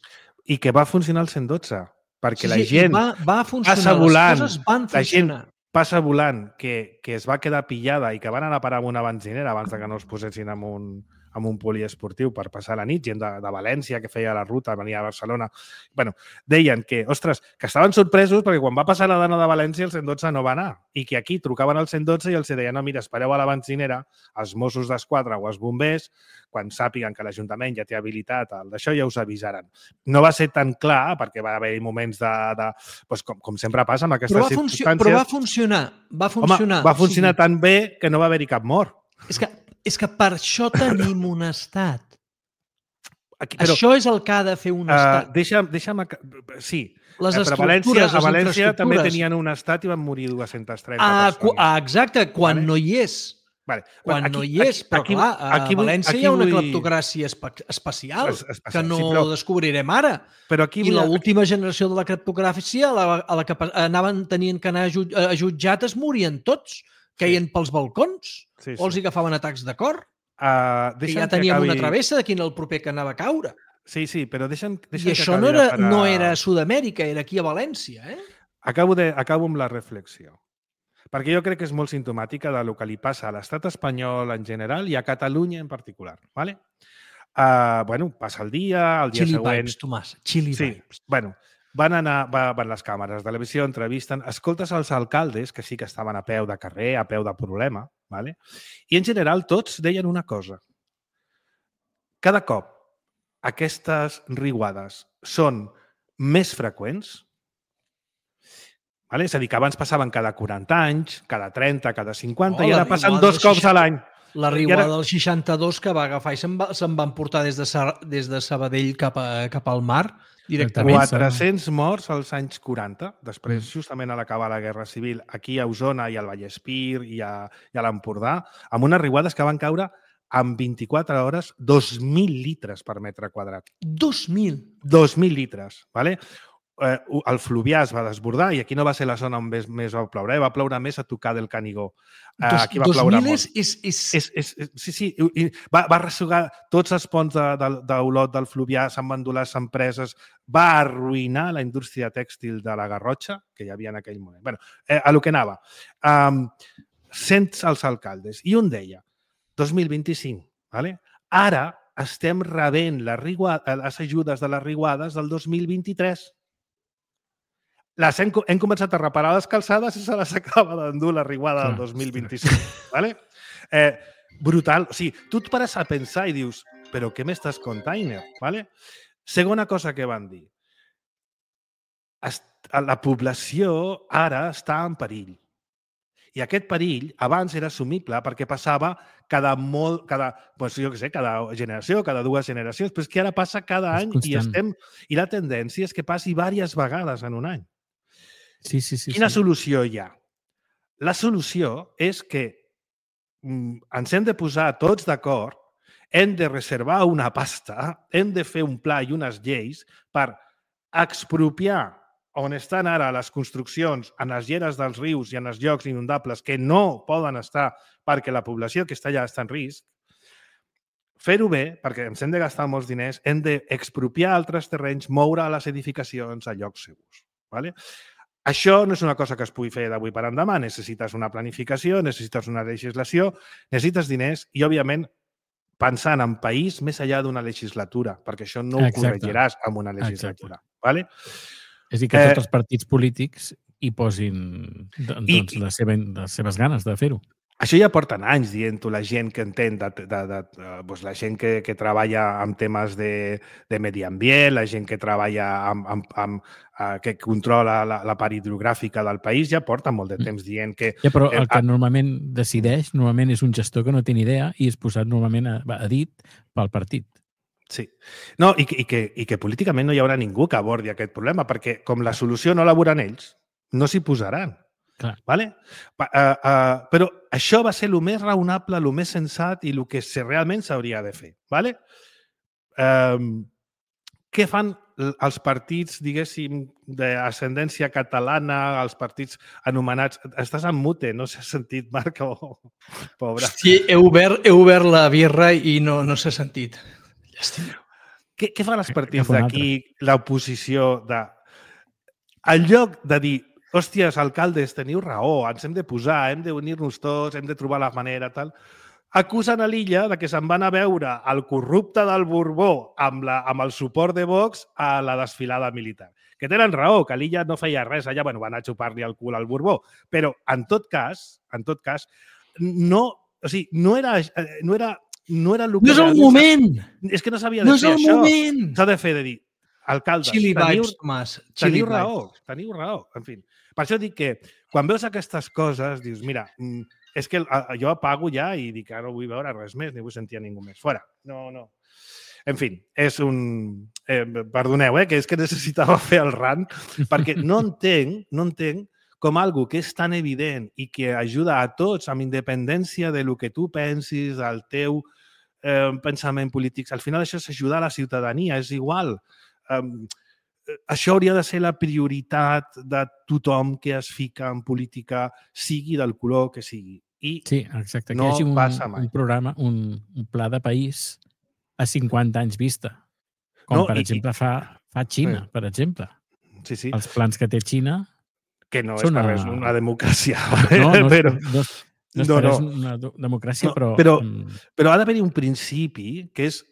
I que va funcionar el cent dotze, perquè sí, la sí, gent va, va funcionar, passa volant, les coses van funcionar. La gent passa volant, que, que es va quedar pillada i que van anar a parar amb una benzinera abans de que no es posessin amb un, amb un poliesportiu per passar la nit, gent de, de València que feia la ruta, venia a Barcelona. Bueno, deien que, ostres, que estaven sorpresos perquè quan va passar la dona de València el cent dotze no va anar i que aquí trucaven al cent dotze i els deien, no, mira, espereu a la benzinera, els Mossos d'Esquadra o els bombers, quan sàpiguen que l'Ajuntament ja té habilitat d'això, ja us avisaran. No va ser tan clar, perquè va haver moments de... de doncs com, com sempre passa amb aquestes però circumstàncies. Però va funcionar, va funcionar. Home, va funcionar o sigui, tan bé que no va haver-hi cap mort. És que, és que per això tenim un estat. Aquí, però, això és el que ha de fer un estat. Uh, deixa'm, deixa'm... Sí, les però a València, a València també tenien un estat i van morir dues-centes trenta ah, persones. Ah, exacte, quan vale? no hi és. Vale. Quan aquí, no hi és, però aquí, clar, a aquí, València aquí hi ha una vull... cleptocràcia espe especial es, especial, que no sí, però... descobrirem ara. Però aquí I vull... l'última generació de la cleptocràcia a la, a la que anaven tenien que anar a jutjat es morien tots, queien sí. pels balcons sí, sí. o els agafaven atacs de cor. Uh, que ja teníem que acabi... una travessa de quin era el proper que anava a caure. Sí, sí, però deixa'm, deixa'm I això no era, para... no era a Sud-amèrica, era aquí a València. Eh? Acabo, de, acabo amb la reflexió. Perquè jo crec que és molt simptomàtica del que li passa a l'estat espanyol en general i a Catalunya en particular. ¿vale? Uh, bueno, passa el dia, el dia Chili següent... Vibes, Tomàs, Chili sí. Vibes. Bueno, van anar, van les càmeres de televisió, entrevisten, escoltes els alcaldes, que sí que estaven a peu de carrer, a peu de problema, ¿vale? I en general tots deien una cosa. Cada cop aquestes riuades són més freqüents, vale? És a dir, que abans passaven cada quaranta anys, cada trenta, cada cinquanta, oh, i ara passen dos cops a l'any. La riuada ara... del seixanta-dos que va agafar i se'n va, se van portar des de, des de Sabadell cap, a, cap al mar directament. quatre-cents morts als anys quaranta, després justament a l'acabar la Guerra Civil, aquí a Osona i al Vallespir i a, i a l'Empordà, amb unes riuades que van caure en vint-i-quatre hores dos mil litres per metre quadrat. dos mil? dos mil litres, ¿vale? Eh, el Fluvià es va desbordar i aquí no va ser la zona on més, més va ploure, eh? Va ploure més a tocar del Canigó. Eh, dos, aquí va ploure molt. És, és, és... És, és, és, sí, sí, i va, va ressugar tots els ponts d'Olot de, de, del Fluvià, se'n van dur les empreses, va arruïnar la indústria tèxtil de la Garrotxa, que hi havia en aquell moment. Bueno, eh, a lo que anava. Um, cents els alcaldes. I un deia, dos mil vint-i-cinc, ¿vale? Ara estem rebent les, les ajudes de les riuades del dos mil vint-i-tres. Les hem, hem començat a reparar les calçades i se les acaba d'endur la riuada del dos mil vint-i-cinc. ¿Vale? Eh, brutal. O sigui, tu et pares a pensar i dius, però què m'estàs contant? ¿Vale? Segona cosa que van dir. La població ara està en perill. I aquest perill abans era assumible perquè passava cada molt, cada, doncs jo què sé, cada generació, cada dues generacions, però és que ara passa cada any i estem i la tendència és que passi diverses vegades en un any. Sí, sí, sí. Quina sí. solució hi ha? La solució és que mm, ens hem de posar tots d'acord, hem de reservar una pasta, hem de fer un pla i unes lleis per expropiar on estan ara les construccions en les lleres dels rius i en els llocs inundables que no poden estar perquè la població que està allà està en risc, fer-ho bé, perquè ens hem de gastar molts diners, hem d'expropiar altres terrenys, moure les edificacions a llocs segurs. ¿Vale? Això no és una cosa que es pugui fer d'avui per endemà. Necessites una planificació, necessites una legislació, necessites diners i, òbviament, pensant en país més enllà d'una legislatura, perquè això no ho corregiràs amb una legislatura. ¿Vale? És a dir, que tots eh, els partits polítics hi posin doncs, i, les, seves, les seves ganes de fer-ho. Això ja porten anys dient-ho la gent que entén, de, de, de, de, doncs la gent que, que treballa amb temes de, de medi ambient, la gent que treballa amb, amb, amb uh, que controla la, la part hidrogràfica del país, ja porta molt de temps dient que... Ja, però el eh, que normalment decideix, normalment és un gestor que no té ni idea i és posat normalment a, a dit pel partit. Sí. No, i, i, que, i que políticament no hi haurà ningú que abordi aquest problema, perquè com la solució no la veuran ells, no s'hi posaran. Clar. Vale? Uh, uh, però això va ser el més raonable, el més sensat i el que se, realment s'hauria de fer. Vale? Uh, què fan els partits, diguéssim, d'ascendència catalana, els partits anomenats... Estàs en mute, no s'ha sentit, Marc? Oh, pobre. Sí, he obert, he obert la birra i no, no s'ha sentit. Llàstima. Què, què fan els partits d'aquí, l'oposició, de... En lloc de dir hòsties, alcaldes, teniu raó, ens hem de posar, hem d'unir-nos tots, hem de trobar la manera, tal. Acusen a l'Illa de que se'n van a veure el corrupte del Borbó amb, la, amb el suport de Vox a la desfilada militar. Que tenen raó, que l'Illa no feia res allà, bueno, van a xupar-li el cul al Borbó. Però, en tot cas, en tot cas, no, o sigui, no era... No era no era el que... No és el moment! És que no s'havia de no fer això. No és el moment! S'ha de fer de dir, alcaldes, Chili teniu, vibes, Tomàs. teniu raó, teniu raó. En fi, per això dic que quan veus aquestes coses, dius, mira, és que jo apago ja i dic que no vull veure res més, ni vull sentir a ningú més. Fora. No, no. En fi, és un... Eh, perdoneu, eh, que és que necessitava fer el rant, perquè no entenc, no entenc com algo que és tan evident i que ajuda a tots, amb independència de lo que tu pensis, del teu eh, pensament polític. Al final això és ajudar a la ciutadania, és igual. Um, això hauria de ser la prioritat de tothom que es fica en política, sigui del color que sigui. I sí, exacte. No que hi hagi un, passa mai. un programa, un, un pla de país a cinquanta anys vista. Com, no, per i, exemple, fa, fa Xina, sí. per exemple. Sí, sí. Els plans que té Xina... Que no és per res una democràcia. No, no, però... no, no és no, per res no. una democràcia, no, però... Però, però ha d'haver-hi un principi que és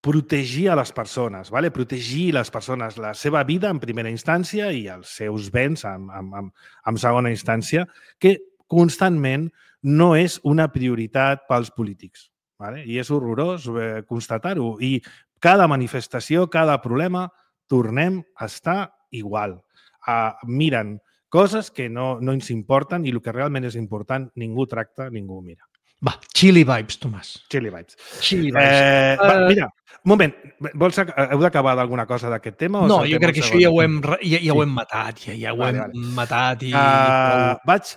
protegir a les persones, ¿vale? Protegir les persones, la seva vida en primera instància i els seus béns en, en, en, en segona instància, que constantment no és una prioritat pels polítics. ¿Vale? I és horrorós eh, constatar-ho. I cada manifestació, cada problema, tornem a estar igual. Uh, miren coses que no, no ens importen i el que realment és important ningú tracta, ningú mira. Va, chili vibes, Tomàs. Chili vibes. Chili vibes. Eh, uh... va, mira, un moment, vols, heu d'acabar d'alguna cosa d'aquest tema? O no, jo crec que això ja ho hem, ja, ja sí. ho hem matat, ja, ja ho vale, hem vale. matat. I... Uh, vaig,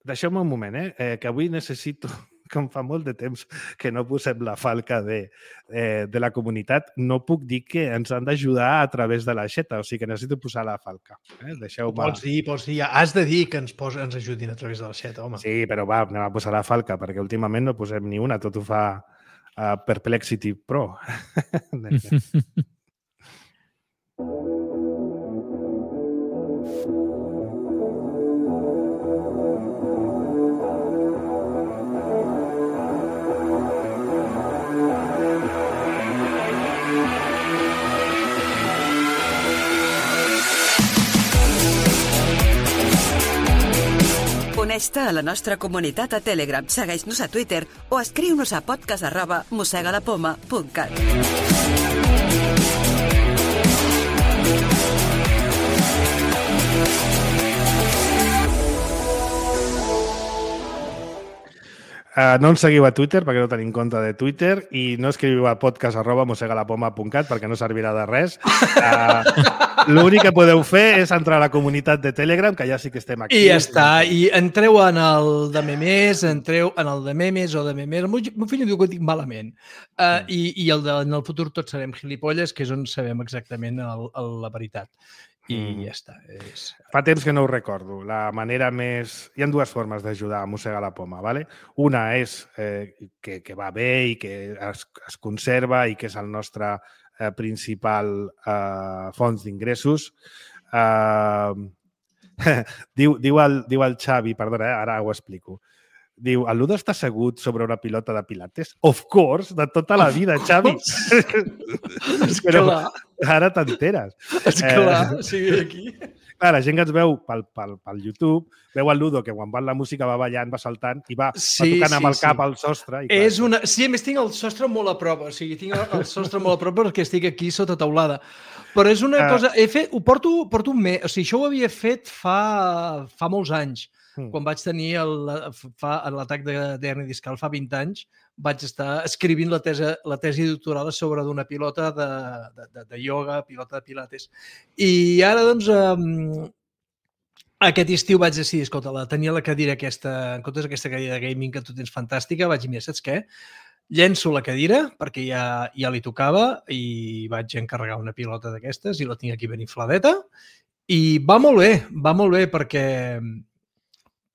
deixeu-me un moment, eh, eh, que avui necessito, com fa molt de temps que no posem la falca de, eh, de la comunitat, no puc dir que ens han d'ajudar a través de l'aixeta, o sigui que necessito posar la falca. Eh? Deixeu-me... Pots dir, pots dir, has de dir que ens, pos, ens ajudin a través de l'aixeta, home. Sí, però va, anem a posar la falca, perquè últimament no posem ni una, tot ho fa uh, Perplexity Pro. Uneix-te a la nostra comunitat a Telegram, segueix-nos a Twitter o escriu-nos a podcast arroba mossegalapoma punt cat. Uh, no ens seguiu a Twitter perquè no tenim compte de Twitter i no escriviu a podcast arroba mossegalapoma punt cat perquè no servirà de res. Uh, L'únic que podeu fer és entrar a la comunitat de Telegram, que ja sí que estem aquí. I ja està. I entreu en el de memes, entreu en el de memes o de memes. El meu fill diu que ho dic malament. Uh, mm. I i el de, en el futur tots serem gilipolles, que és on sabem exactament el, el, la veritat. I mm. ja està. És... Fa temps que no ho recordo. La manera més... Hi ha dues formes d'ajudar a mossegar la poma, ¿vale? Una és eh, que, que va bé i que es, es conserva i que és el nostre eh, principal eh, fons d'ingressos. Eh, diu, diu, el, diu el Xavi, perdona, eh, ara ho explico. Diu, el Ludo està assegut sobre una pilota de pilates? Of course, de tota la vida, Xavi. És Però ara t'enteres. És clar, eh, sigui aquí. Clar, la gent que ens veu pel, pel, pel YouTube, veu el Ludo que quan va la música va ballant, va saltant i va, Sí, va tocant sí, amb el cap sí. al sostre. I clar, És una... Sí, a més tinc el sostre molt a prop, o sigui, tinc el sostre molt a prop perquè estic aquí sota taulada. Però és una Ah. cosa... He fet... Ho porto, porto un mes... O sigui, això ho havia fet fa, fa molts anys. Mm. Quan vaig tenir el- fa- l'atac de- d'hernia discal fa vint anys, vaig estar escrivint la tesi, la tesi doctoral a sobre d'una pilota de, de, de, de ioga, pilota de pilates. I ara, doncs, um, aquest estiu vaig decidir, escolta, la, tenia la cadira aquesta, en comptes d'aquesta cadira de gaming que tu tens fantàstica, vaig dir, mira, saps què? Llenço la cadira, perquè ja, ja li tocava, i vaig encarregar una pilota d'aquestes i la tinc aquí ben infladeta. I va molt bé, va molt bé perquè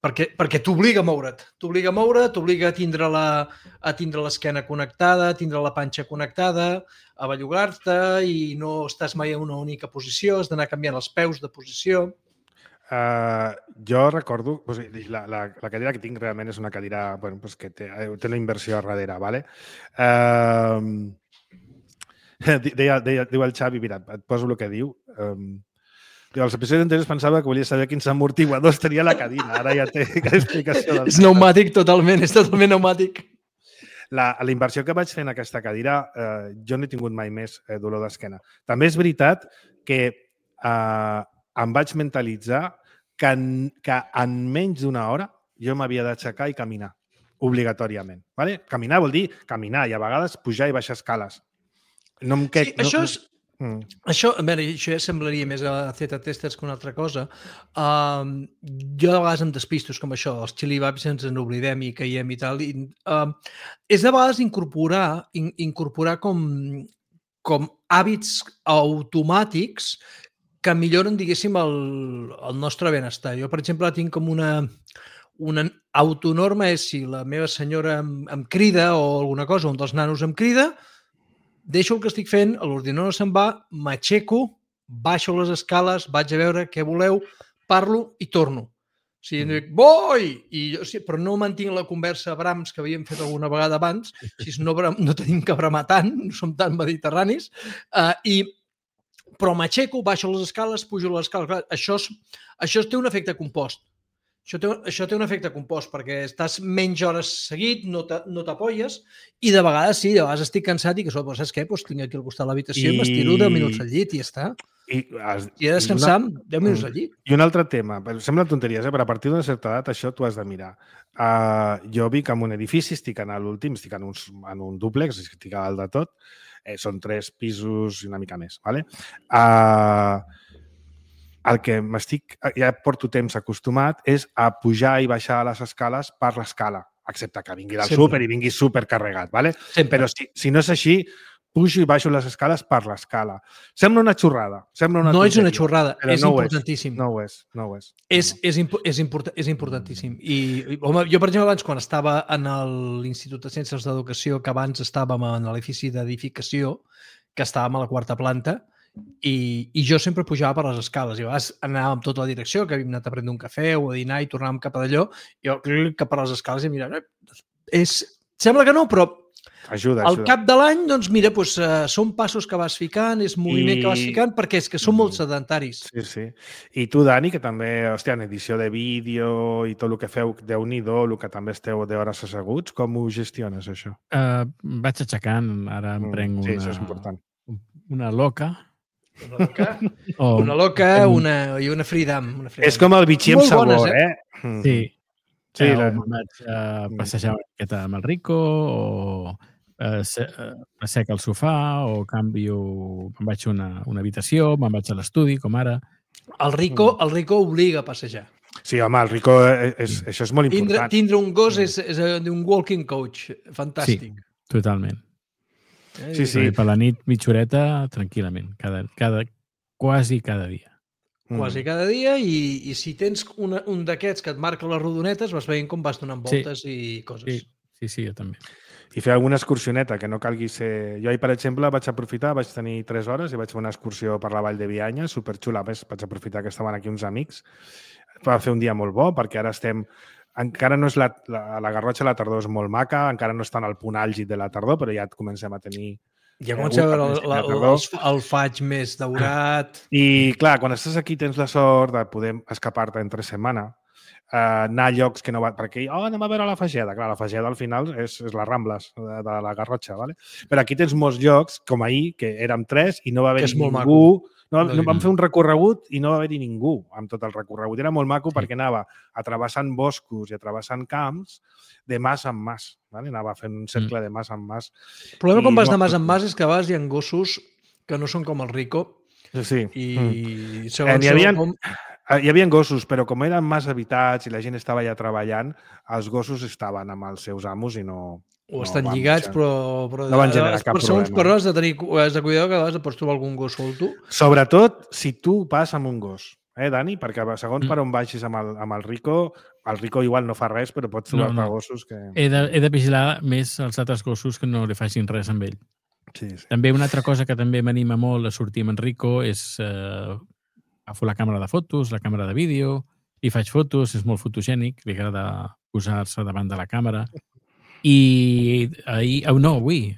perquè, perquè t'obliga a moure't. T'obliga a moure't, t'obliga a tindre la, a tindre l'esquena connectada, a tindre la panxa connectada, a bellugar-te i no estàs mai en una única posició, has d'anar canviant els peus de posició. Uh, jo recordo, o sigui, la, la, la cadira que tinc realment és una cadira bueno, pues que té, té una inversió a darrere, ¿vale? Uh, deia, deia, diu el Xavi, mira, et poso el que diu. Um, diu, als episodis anteriors pensava que volia saber quins amortiguadors tenia la cadira. Ara ja té explicació. Del És pneumàtic totalment, és totalment pneumàtic. La, la inversió que vaig fer en aquesta cadira, eh, jo no he tingut mai més eh, dolor d'esquena. També és veritat que eh, em vaig mentalitzar que en, que en menys d'una hora jo m'havia d'aixecar i caminar, obligatòriament. Vale? Caminar vol dir caminar i a vegades pujar i baixar escales. No em Sí, no, això és... Mm. Això, a veure, això ja semblaria més a Z-testers que una altra cosa. Um, jo de vegades em despisto, és com això, els xilibabs ens en oblidem i caiem i tal. I, um, és de vegades incorporar, in, incorporar com, com hàbits automàtics que milloren, diguéssim, el, el nostre benestar. Jo, per exemple, tinc com una, una autonorma, és si la meva senyora em, em crida o alguna cosa, un dels nanos em crida, deixo el que estic fent, l'ordinador se'n va, m'aixeco, baixo les escales, vaig a veure què voleu, parlo i torno. O sigui, dic, voi! I jo, sí, però no mantinc la conversa a brams que havíem fet alguna vegada abans, si no, no tenim que bramar tant, no som tan mediterranis, uh, i, però m'aixeco, baixo les escales, pujo les escales. Clar, això, és, això té un efecte compost. Això té, això té un efecte compost, perquè estàs menys hores seguit, no t'apolles, i de vegades sí, de vegades estic cansat i que sols, saps què? Pues tinc aquí al costat de l'habitació i, i m'estiro deu minuts al llit i ja està. I, has, I he de descansar una... deu minuts al llit. I un altre tema, sembla tonteries, eh? Però a partir d'una certa edat això t'ho has de mirar. Uh, jo vic en un edifici, estic en l'últim, estic en un, en un dúplex, estic a dalt de tot, eh, són tres pisos i una mica més, ¿vale? Uh, el que m'estic, ja porto temps acostumat, és a pujar i baixar les escales per l'escala, excepte que vingui del súper i vingui supercarregat, ¿vale? Sempre. Però si, si no és així, pujo i baixo les escales per l'escala. Sembla una xorrada. Sembla una no tonteria, és una xorrada, és no importantíssim. No ho és, no ho és. És, no. és, impo és, import és importantíssim. I, home, jo, per exemple, abans, quan estava en l'Institut de Ciències d'Educació, que abans estàvem en l'edifici d'edificació, que estàvem a la quarta planta, i, i jo sempre pujava per les escales. I a vegades anàvem tota la direcció, que havíem anat a prendre un cafè o a dinar i tornàvem cap a d'allò, i jo cap per les escales i mira, és... sembla que no, però ajuda, al ajuda. cap de l'any, doncs mira, doncs, uh, són passos que vas ficant, és moviment I... que vas ficant, perquè és que són molt sedentaris. Sí, sí. I tu, Dani, que també, hòstia, en edició de vídeo i tot el que feu, Déu-n'hi-do, el que també esteu d'hores asseguts, com ho gestiones, això? Uh, vaig aixecant, ara em prenc una... Sí, això és important. Una loca. Una loca, o, una, loca una, i una freedom. Una freedom. És com el bitxí amb sabor, bones, eh? eh? Sí. Sí, eh, la... o me'n vaig uh, passejar una miqueta amb el Rico, o uh, se, uh, asseca al sofà, o canvio, me'n vaig a una, una habitació, me'n vaig a l'estudi, com ara. El Rico, el Rico obliga a passejar. Sí, home, el Rico, és, és, això és molt important. Tindre, tindre un gos és, és un walking coach, fantàstic. Sí, totalment. Eh? Sí, sí. Per la nit, mitja horeta, tranquil·lament, cada, cada, quasi cada dia. Quasi cada dia, i, i si tens una, un d'aquests que et marca les rodonetes, vas veient com vas donant voltes sí. i coses. Sí, sí, sí, jo també. I fer alguna excursioneta, que no calgui ser... Jo ahir, per exemple, vaig aprofitar, vaig tenir tres hores i vaig fer una excursió per la Vall de Bianya, superxula. A més, vaig aprofitar que estaven aquí uns amics. Va fer un dia molt bo, perquè ara estem... Encara no és la, la, la Garrotxa, la tardor és molt maca, encara no està en el punt àlgid de la tardor, però ja comencem a tenir Ja comença a veure el, la, el, el faig més daurat. I, clar, quan estàs aquí tens la sort de poder escapar-te entre setmana, uh, anar a llocs que no va... Perquè, oh, anem a veure la Fageda. Clar, la Fageda al final és, és les Rambles de, de la Garrotxa, ¿vale? Però aquí tens molts llocs, com ahir, que érem tres i no va haver ningú... Maco. No, no, vam fer un recorregut i no va haver-hi ningú amb tot el recorregut. Era molt maco sí. perquè anava atrevessant boscos i atrevessant camps de mas en mas. ¿vale? Anava fent un cercle mm. de mas en mas. El problema I quan vas no, de mas en mas és que a vegades hi ha gossos que no són com el Rico. Sí. I mm. segons eh, hi, havia, com... hi havia gossos, però com eren mas habitats i la gent estava allà treballant, els gossos estaven amb els seus amos i no... O estan no lligats, però, però no van generar cap segons problema. Però has de tenir has de cuidar que a vegades pots trobar algun gos solto. Sobretot si tu vas amb un gos, eh, Dani? Perquè segons mm. per on baixis amb el, amb el Rico, el Rico igual no fa res, però pots trobar-te no, no. gossos que... He de, he de vigilar més els altres gossos que no li facin res amb ell. Sí, sí. També una altra cosa que també m'anima molt a sortir amb en Rico és eh, agafo la càmera de fotos, la càmera de vídeo, i faig fotos, és molt fotogènic, li agrada posar-se davant de la càmera. I ahir, oh no, avui,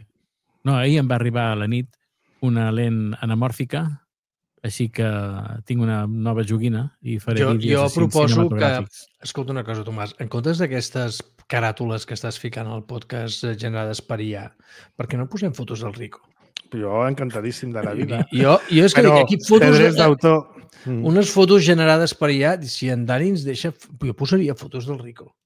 no, ahir em va arribar a la nit una lent anamòrfica, així que tinc una nova joguina i faré jo, vídeos jo proposo que, escolta una cosa, Tomàs, en comptes d'aquestes caràtules que estàs ficant al podcast generades per I A, per què no posem fotos del Rico? Jo encantadíssim de la vida. Jo, jo és que Però, aquí fotos drets d'autor. Unes fotos generades per I A, si en Dani ens deixa, jo posaria fotos del Rico.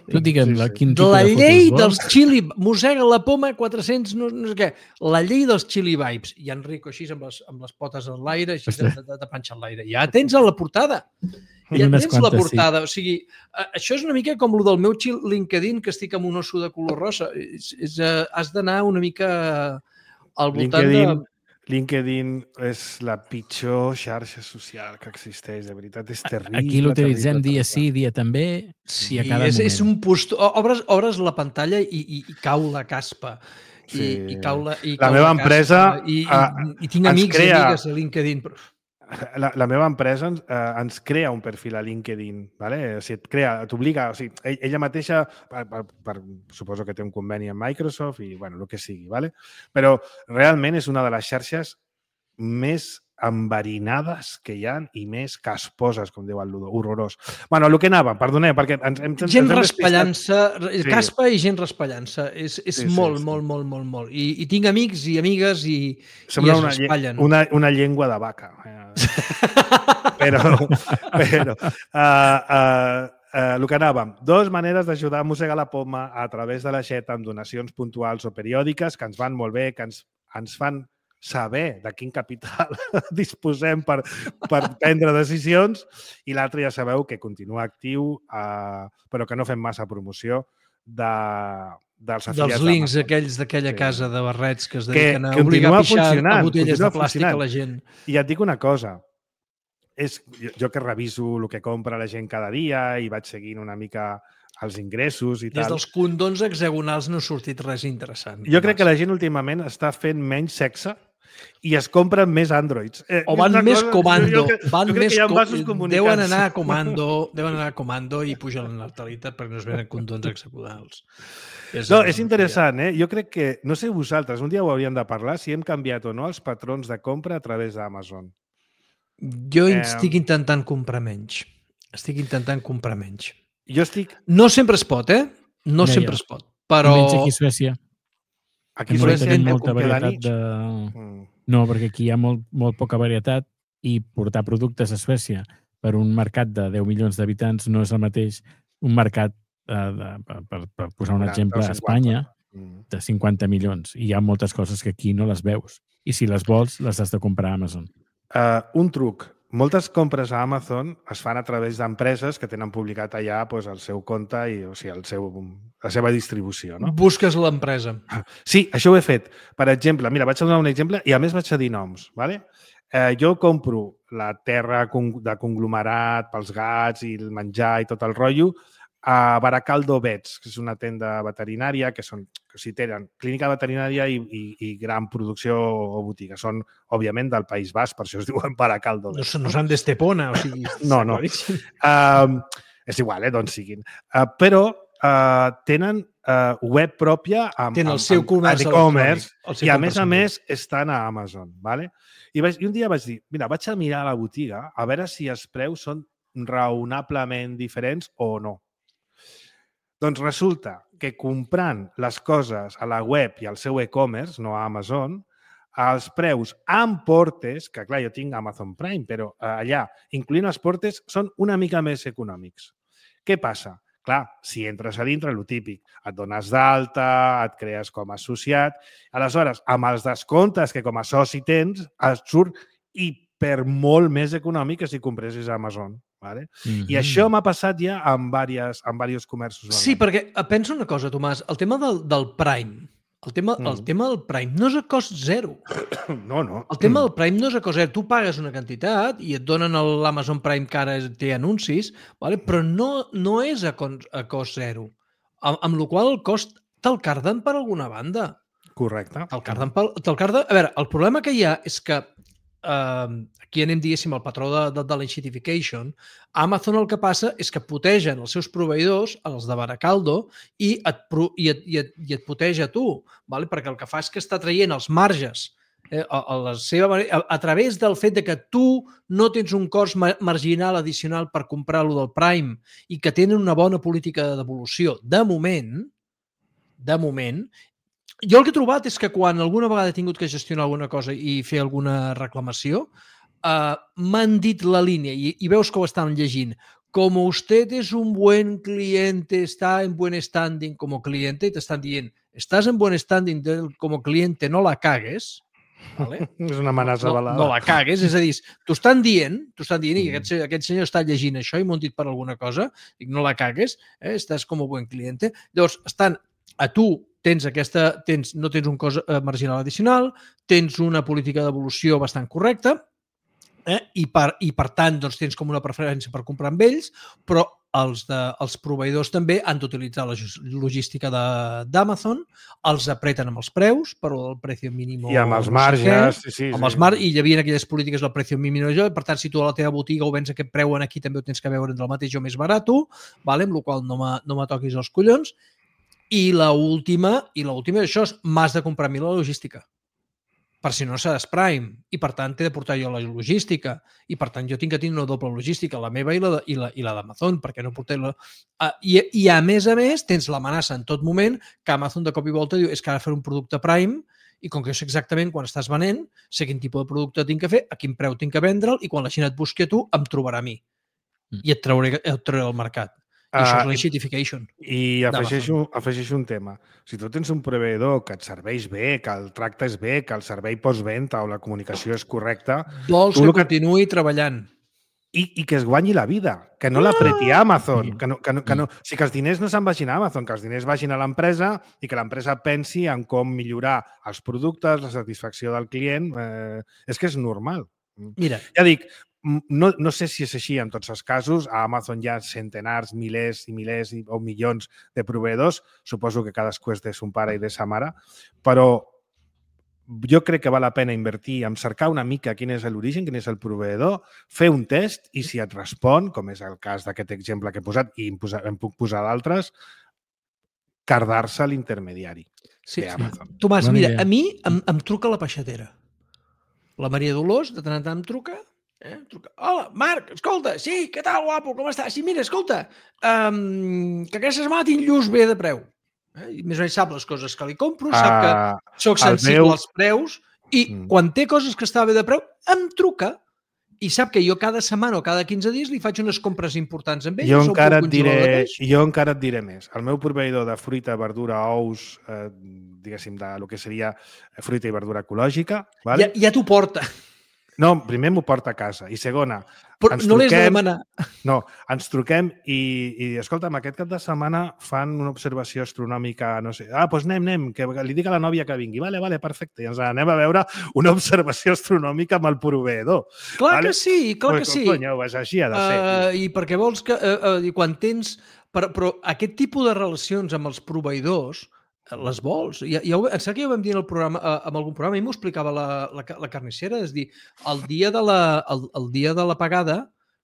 Tu digue'm, sí, sí. Quin de tipus la de llei fotos dels Chili... Mossega la poma quatre-cents, no, no sé què. La llei dels Chili Vibes. I en Rico així amb les, amb les potes en l'aire, així de, de, de panxa en l'aire. Ja tens a la portada. Ja tens quantes, la portada. Sí. O sigui, això és una mica com el del meu LinkedIn, que estic amb un osso de color rosa. És, és, has d'anar una mica al voltant LinkedIn, de... LinkedIn és la pitjor xarxa social que existeix, de veritat, és terrible. Aquí l'utilitzem dia sí, dia també, sí, i a cada és, moment. És un post... Obres, obres la pantalla i, i, i cau la caspa. I, sí. i cau la, i la cau meva la empresa... I, i, i tinc amics crea... i amigues a LinkedIn, però... La, la meva empresa ens, eh, ens crea un perfil a LinkedIn, ¿vale? O sigui, et crea, t'obliga, o sigui, ella mateixa, per, per, per, suposo que té un conveni amb Microsoft i, bueno, el que sigui, ¿vale? Però realment és una de les xarxes més enverinades que hi ha i més casposes, com diu el Ludo, horrorós. Bueno, el que anava, perdoneu, perquè ens, ens, gent ens raspallant-se, sí. Caspa i gent raspallant-se. És, és sí, molt, sí, molt, sí. molt, molt, molt. I, i tinc amics i amigues i, i es una, raspallen. Una, una llengua de vaca. però, però uh, uh, uh, el que anàvem, dues maneres d'ajudar a mossegar la poma a través de l'aixeta amb donacions puntuals o periòdiques que ens van molt bé, que ens, ens fan saber de quin capital disposem per, per prendre decisions, i l'altre ja sabeu que continua actiu, eh, però que no fem massa promoció de, dels afiliats dels links aquells d'aquella sí. casa de barrets que es dediquen que, a obligar a pixar a botelles de plàstic a la gent. I et dic una cosa, és, jo, jo que reviso el que compra la gent cada dia i vaig seguint una mica els ingressos i Des tal. Des dels condons hexagonals no ha sortit res interessant. Jo crec que la gent últimament està fent menys sexe i es compren més Androids. Eh, o van més cosa, comando. Jo, jo, van jo més com... Deuen anar a comando, deuen anar a comando i pugen la natalitat perquè no es venen condons hexagonals. És no, és interessant, eh? Jo crec que, no sé vosaltres, un dia ho hauríem de parlar, si hem canviat o no els patrons de compra a través d'Amazon. Jo eh... estic intentant comprar menys. Estic intentant comprar menys. Jo estic... No sempre es pot, eh? No ja, sempre ja. es pot, però... Menys aquí a Suècia. Aquí a Suècia tenim molta varietat de... Mm. No, perquè aquí hi ha molt, molt poca varietat i portar productes a Suècia per un mercat de deu milions d'habitants no és el mateix un mercat, eh, de, per, per posar un exemple, a Espanya, de cinquanta milions. I hi ha moltes coses que aquí no les veus. I si les vols, les has de comprar a Amazon. Uh, un truc. Moltes compres a Amazon es fan a través d'empreses que tenen publicat allà pues, el seu compte i o sigui, el seu, la seva distribució. No? Busques l'empresa. Sí, això ho he fet. Per exemple, mira, vaig a donar un exemple i a més vaig a dir noms. ¿vale? Eh, jo compro la terra de conglomerat pels gats i el menjar i tot el rotllo a Baracaldo Vets, que és una tenda veterinària que són, que o sigui, tenen clínica veterinària i, i, i gran producció o botiga. Són, òbviament, del País Basc, per això es diuen Baracaldo Vets. No, no són d'Estepona, o sigui... No, no. Uh, és igual, eh, d'on siguin. Uh, però uh, tenen uh, web pròpia amb, Tenen el amb, seu amb, comerç amb e-commerce electrònic, el seu i a més a comerç més estan a Amazon. ¿vale? I, vaig, I un dia vaig dir, mira, vaig a mirar a la botiga a veure si els preus són raonablement diferents o no. Doncs resulta que comprant les coses a la web i al seu e-commerce, no a Amazon, els preus amb portes, que clar, jo tinc Amazon Prime, però allà, incloent els portes, són una mica més econòmics. Què passa? Clar, si entres a dintre, el típic, et dones d'alta, et crees com a associat, aleshores, amb els descomptes que com a soci tens, et surt i per molt més econòmic que si compressis a Amazon. Vale? Mm-hmm. I això m'ha passat ja amb diversos, amb diversos comerços. Sí, perquè pensa una cosa, Tomàs, el tema del, del Prime, el tema, mm. el tema del Prime no és a cost zero. No, no. El tema del Prime no és a cost zero. Tu pagues una quantitat i et donen l'Amazon Prime que ara té anuncis, vale? Però no, no és a, a cost zero. Amb, amb la qual el cost te'l carden per alguna banda. Correcte. Te'l carden, te carden... A veure, el problema que hi ha és que Uh, aquí anem, diguéssim, el patró de, de, de l'enxitification. Amazon el que passa és que protegen els seus proveïdors, els de Baracaldo, i et, i et, i et, i et proteja a tu, vale? Perquè el que fa és que està traient els marges eh, a, a, la seva manera, a, a través del fet de que tu no tens un cost ma marginal addicional per comprar-lo del Prime i que tenen una bona política de devolució. De moment, de moment, jo el que he trobat és que quan alguna vegada he tingut que gestionar alguna cosa i fer alguna reclamació, uh, m'han dit la línia, i, i veus que ho estan llegint, com usted és un buen cliente, està en buen standing com a cliente, i t'estan dient, estàs en buen standing com a cliente, no la cagues, vale? És una amenaça no, balada. No la cagues, és a dir, t'ho estan dient, t'ho estan dient, i aquest, aquest senyor està llegint això i m'ho han dit per alguna cosa, dic, no la cagues, eh? Estàs com a buen cliente. Llavors, estan a tu, tens aquesta, tens, no tens un cost eh, marginal addicional, tens una política d'evolució bastant correcta eh, i, per, i per tant doncs, tens com una preferència per comprar amb ells, però els, de, els proveïdors també han d'utilitzar la logística d'Amazon, els apreten amb els preus, però el preu mínim... I amb els marges. Sí, sí, amb els mar I hi havia aquelles polítiques del preu mínim, per tant, si tu a la teva botiga ho vens aquest preu en aquí, també ho tens que veure entre el mateix o més barat, vale? Amb la qual no me no toquis els collons. I l'última, i l'última d'això és m'has de comprar a mi la logística. Per si no seràs Prime. I per tant t'he de portar jo la logística. I per tant jo tinc que tenir una doble logística, la meva i la, i la, i la d'Amazon, perquè no portem la... Uh, i, I a més a més tens l'amenaça en tot moment que Amazon de cop i volta diu és que ara fer un producte Prime i com que jo sé exactament quan estàs venent, sé quin tipus de producte tinc que fer, a quin preu tinc que vendre'l i quan la Xina et busqui a tu em trobarà a mi. I et trauré, et trauré al mercat. I això és l'enxitification. I afegeixo, afegeixo un tema. Si tu tens un proveïdor que et serveix bé, que el tractes bé, que el servei postventa o la comunicació és correcta... Vols que continuï treballant. I, I que es guanyi la vida, que no l'apreti a Amazon. Que no, que no, que no, o sigui, que els diners no se'n vagin a Amazon, que els diners vagin a l'empresa i que l'empresa pensi en com millorar els productes, la satisfacció del client. Eh, és que és normal. Mira. Ja dic, No, no sé si és així en tots els casos. A Amazon hi ha centenars, milers i milers o milions de proveïdors. Suposo que cadascú és de son pare i de sa mare. Però jo crec que val la pena invertir en cercar una mica quin és l'origen, quin és el proveïdor, fer un test i si et respon, com és el cas d'aquest exemple que he posat i en puc posar d'altres, cardar-se l'intermediari sí. d'Amazon. Tomàs, mira, a mi em, em truca la peixatera. La Maria Dolors, de tant en tant em truca... Eh? Hola, Marc, escolta, sí, què tal, guapo, com estàs? Sí, mira, escolta, um, que aquesta setmana tinc lluç bé de preu. Eh? I més o menys sap les coses que li compro, sap que uh, soc sensible meu... als preus i mm. quan té coses que està bé de preu, em truca i sap que jo cada setmana o cada quinze dies li faig unes compres importants amb ell. Jo encara, et diré, jo encara et diré més. El meu proveïdor de fruita, verdura, ous, eh, diguéssim, de lo que seria fruita i verdura ecològica... Vale? Ja, ja t'ho porta. No, primer m'ho porta a casa. I segona, però ens no truquem... l'has de demanar. No, ens truquem i, i escolta'm, aquest cap de setmana fan una observació astronòmica, no sé, ah, doncs anem, anem, que li dic a la nòvia que vingui. Vale, vale, perfecte. I ens anem a veure una observació astronòmica amb el proveïdor. Clar vale? que sí, clar pues, que sí. Cony, és així ha de ser. Uh, I perquè vols que... Uh, uh, quan tens... Però, però aquest tipus de relacions amb els proveïdors les vols. Ja, ja ho, em sembla que ja ho vam dir en el programa, eh, en algun programa, i m'ho explicava la, la, la carnissera, és dir, el dia de la, el, el dia de la pagada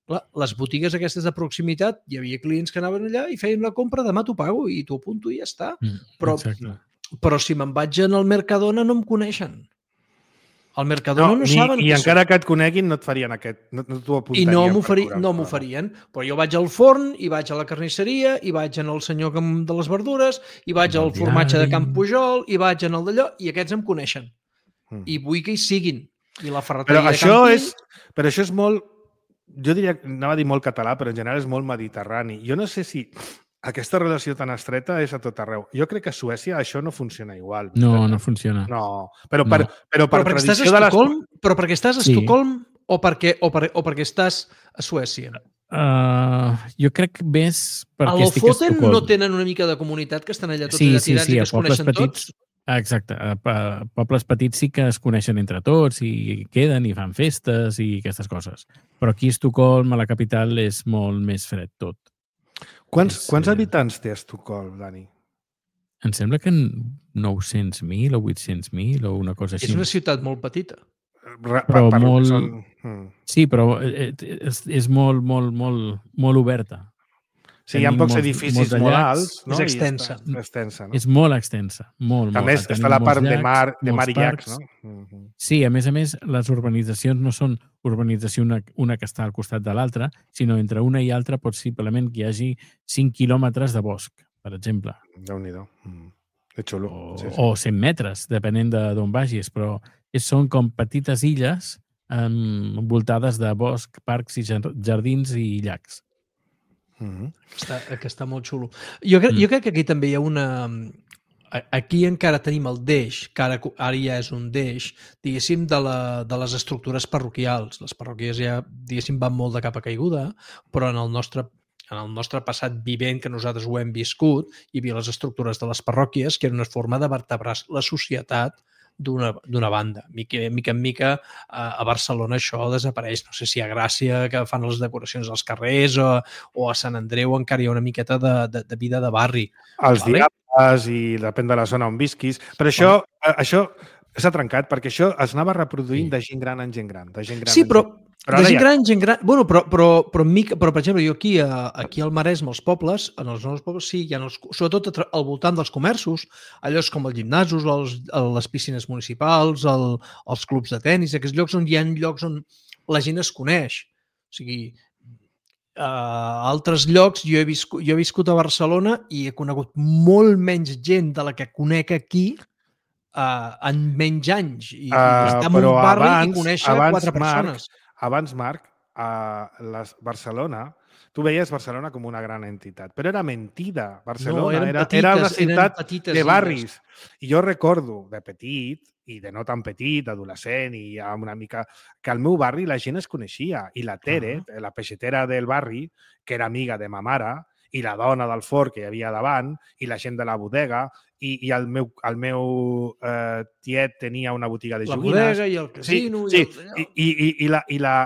Clar, les botigues aquestes de proximitat, hi havia clients que anaven allà i feien la compra, demà t'ho pago i t'ho apunto i ja està. Mm, Però, exacte. però si me'n vaig en el Mercadona no em coneixen. Al Mercadona no, ni, saben I qui encara soc. que et coneguin no et farien aquest, no, no t'ho I apuntarien. no per m'oferi, cobrar. no m'oferien. Però jo vaig al forn, i vaig a la carnisseria, i vaig en el senyor que em- de les verdures, i vaig Al al formatge de diari. Camp Pujol, i vaig en el d'allò, i aquests em coneixen. Mm. I vull que hi siguin. I la Però ferreteria de això, Campins... és, però això és molt, jo diria, anava a dir molt català, però en general és molt mediterrani. Jo no sé si aquesta relació tan estreta és a tot arreu. Jo crec que a Suècia això no funciona igual. No, no funciona. No, però per, No. però per Però perquè estàs a tradició de les... Estocolm, però perquè estàs a Sí. Estocolm o perquè, o, per, o perquè estàs a Suècia? Uh, jo crec més A perquè estic a Lofoten Estocolm. no tenen una mica de comunitat que estan allà tots Sí, allà sí, tirats sí, i a que es pobles coneixen petits. tots? Exacte, a, a pobles petits sí que es coneixen entre tots i queden i fan festes i aquestes coses. Però aquí a Estocolm, a la capital, és molt més fred tot. Quants, És, quants eh, habitants té Estocolm, Dani? Em sembla que nou-cents mil o vuit-cents mil o una cosa així. És una ciutat molt petita. Re, Però per, per molt- Són... Mm. Sí, però eh, eh, és, és molt, molt, molt, molt oberta. Sí, hi ha Tenim pocs molts- edificis molts de molt llacs. alts. No? És I extensa. Està, extensa, no? És molt extensa. Molt, A molt. més, Tenim està la molts part de llacs, mar, de mar molts i llacs, parcs. no? Mm -hmm. Sí, a més a més, les urbanitzacions no són urbanització una, una que està al costat de l'altra, sinó entre una i altra possiblement que hi hagi cinc quilòmetres de bosc, per exemple. Déu-n'hi-do. Mm. Que xulo. O, Sí, sí. o cent metres, depenent d'on vagis, però és, són com petites illes um, envoltades de bosc, parcs i jar- jardins i llacs. Mm -hmm. Està, que està molt xulo. Jo, cre Mm. jo crec que aquí també hi ha una... a- Aquí encara tenim el deix, que ara, ara ja és un deix, diguéssim, de, la, de les estructures parroquials. Les parròquies ja, diguéssim, van molt de capa caiguda, però en el nostre en el nostre passat vivent, que nosaltres ho hem viscut, hi havia les estructures de les parròquies, que era una forma de vertebrar la societat d'una banda. Mica, mica en mica a Barcelona això desapareix. No sé si a Gràcia, que fan les decoracions als carrers, o, o a Sant Andreu encara hi ha una miqueta de, de, de vida de barri. Els Vale. diables i depèn de la zona on visquis. Però això, això s'ha trencat perquè això es anava reproduint Sí. de gent gran en gent gran. De gent gran Sí, en però, gent... però ara de gent ja- gran, gent gran... Bueno, però, però, però, mica, però per exemple, jo aquí, a, aquí al Maresme, als pobles, en els nous pobles, sí, hi ha els, sobretot a tra- al voltant dels comerços, allò és com els gimnasos, els, les piscines municipals, el, els clubs de tennis, aquests llocs on hi ha llocs on la gent es coneix. O sigui, a altres llocs, jo he, viscut, jo he viscut a Barcelona i he conegut molt menys gent de la que conec aquí uh, en menys anys. I, Uh, i estar en però un barri abans, i conèixer abans, quatre persones. Marc, abans, Marc, a les Barcelona, tu veies Barcelona com una gran entitat, però era mentida. Barcelona No, eren era, petites, era una eren ciutat petites de illes. barris. I jo recordo, de petit, i de no tan petit, d'adolescent, i ja una mica... que al meu barri la gent es coneixia. I la Tere, Ah. la peixetera del barri, que era amiga de ma mare, i la dona del forn que hi havia davant, i la gent de la bodega, i, i el meu, el meu eh, tiet tenia una botiga de La joguines. bodega i el casino. Sí, i sí. el... I, i, i, la, i la,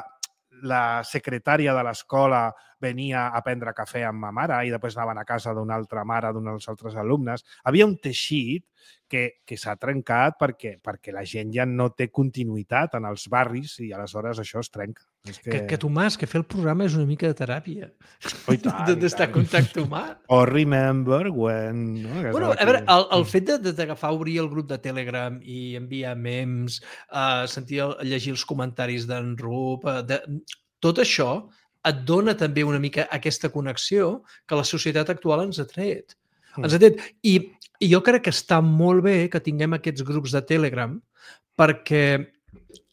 la secretària de l'escola venia a prendre cafè amb ma mare i després anaven a casa d'una altra mare, d'uns altres alumnes. Havia un teixit que, que s'ha trencat perquè, perquè la gent ja no té continuïtat en els barris i aleshores això es trenca. És que... Que, que Tomàs, que fer el programa és una mica de teràpia. Oh, i tant, i D'estar en tant. contacte humà. O remember when... No? Que és Bueno, el a veure, que- el, el fet de- de- d'agafar, obrir el grup de Telegram i enviar memes, uh, sentir, el- llegir els comentaris d'en Rup, uh, de, tot això et dona també una mica aquesta connexió que la societat actual ens ha tret. Mm. Ens ha tret. I, I jo crec que està molt bé que tinguem aquests grups de Telegram perquè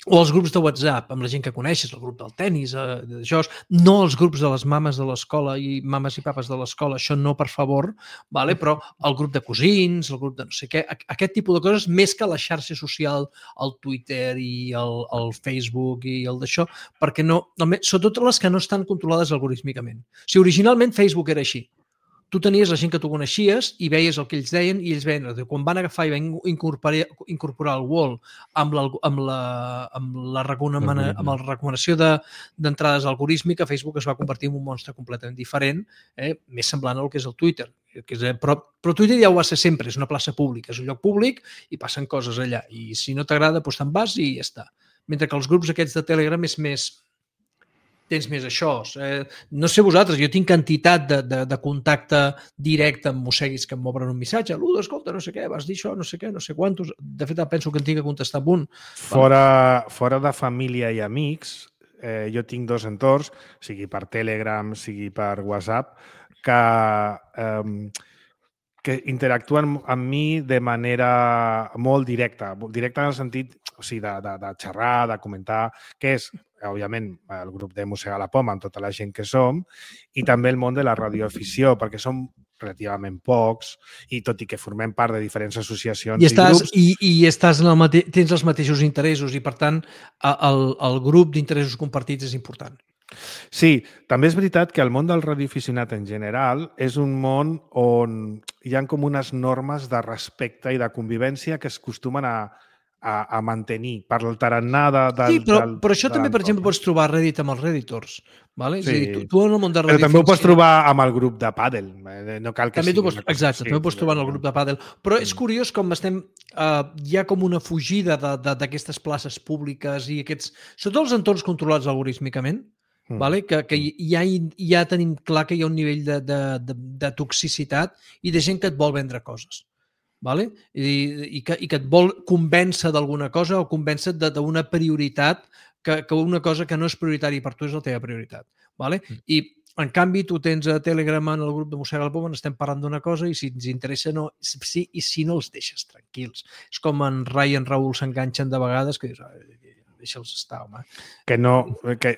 o els grups de WhatsApp, amb la gent que coneixes, el grup del tennis, eh, d'això, no els grups de les mames de l'escola i mames i papes de l'escola, això no, per favor, vale? Però el grup de cosins, el grup de no sé què, aquest tipus de coses, més que la xarxa social, el Twitter i el, el Facebook i el d'això, perquè no, sobretot les que no estan controlades algorítmicament. O sigui, originalment Facebook era així. Tu tenies la gent que tu coneixies i veies el que ells deien i ells veien. Quan van agafar i van incorporar, incorporar el wall amb la, amb la, amb la, recomana, amb la recomanació d'entrades de, algorítmica, Facebook es va convertir en un monstre completament diferent, eh, més semblant al que és el Twitter. Que és, però, però Twitter ja ho va ser sempre, és una plaça pública, és un lloc públic i passen coses allà. I si no t'agrada, doncs te'n vas i ja està. Mentre que els grups aquests de Telegram és més... tens més això. Eh, no sé vosaltres, jo tinc quantitat de, de, de contacte directe amb mosseguis que em m'obren un missatge. Ludo, escolta, no sé què, vas dir això, no sé què, no sé quantos. De fet, penso que en tinc que contestar amb un. Fora, fora de família i amics, eh, jo tinc dos entorns, sigui per Telegram, sigui per WhatsApp, que, eh, que interactuen amb mi de manera molt directa. Directa en el sentit, o sigui, de, de, de xerrar, de comentar, que és, òbviament, el grup de Mossega la Poma, amb tota la gent que som, i també el món de la radioafició, perquè som relativament pocs, i tot i que formem part de diferents associacions I, estàs, i grups... I, i estàs en el mate... tens els mateixos interessos i, per tant, el, el grup d'interessos compartits és important. Sí, també és veritat que el món del radioaficionat en general és un món on hi ha com unes normes de respecte i de convivència que es acostumen a, a, a mantenir per el tarannà de, del... Sí, però, del, però això de també, per exemple, pots trobar Reddit amb els Redditors. Vale? Sí. És a dir, tu, tu en el món de Però també ho pots radioafició- trobar amb el grup de pàdel. No cal que també sigui tu pots, una cosa exacte, així. també ho pots trobar en el grup de pàdel. Però és curiós com estem... Uh, hi ha com una fugida d'aquestes places públiques i aquests... Sobretot els entorns controlats algorítmicament, mm. vale? que, que ja, ja tenim clar que hi ha un nivell de, de, de, de toxicitat i de gent que et vol vendre coses. Vale? I, i, que, i que et vol convèncer d'alguna cosa o convèncer d'una prioritat que, que una cosa que no és prioritària per tu és la teva prioritat. Vale? Mm. I en canvi, tu tens a Telegram en el grup de Mossega la Poma, estem parlant d'una cosa i si ens interessa, no. Sí, i si no els deixes tranquils. És com en Rai i en Raül s'enganxen de vegades que dius, deixa'ls estar, home. Que no, que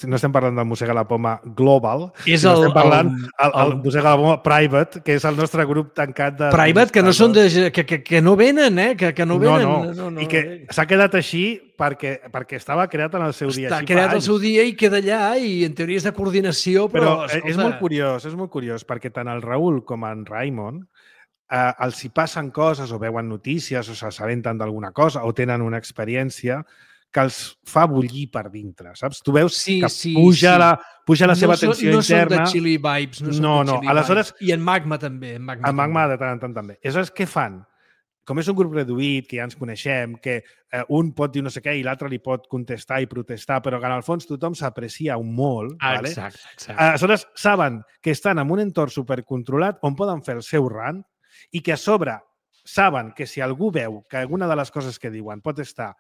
no estem parlant del Mossega la Poma global, és el, estem parlant el, el, el, el Mossega la Poma private, que és el nostre grup tancat de... Private, que no són de, que, que, que no venen, eh? Que, que no venen. No, no. no, no I que s'ha quedat així perquè, perquè estava creat en el seu dia. Està creat el seu dia i queda allà i en teoria és de coordinació, però... Però escolta... és molt curiós, és molt curiós, perquè tant el Raül com en Raimon eh, els hi passen coses o veuen notícies o s'assabenten d'alguna cosa o tenen una experiència que els fa bullir per dintre, saps? Tu veus sí, que sí, puja, sí. La, puja la no seva són, tensió no interna. No són de chili vibes. No, no, no. no. Aleshores, I en Magma també. En Magma, en Magma de tant en tant també. Aleshores, què fan? Com és un grup reduït, que ja ens coneixem, que eh, un pot dir no sé què i l'altre li pot contestar i protestar, però que en el fons tothom s'aprecia un molt. Ah, vale? Exacte, exacte. Aleshores, saben que estan en un entorn supercontrolat on poden fer el seu rant i que a sobre saben que si algú veu que alguna de les coses que diuen pot estar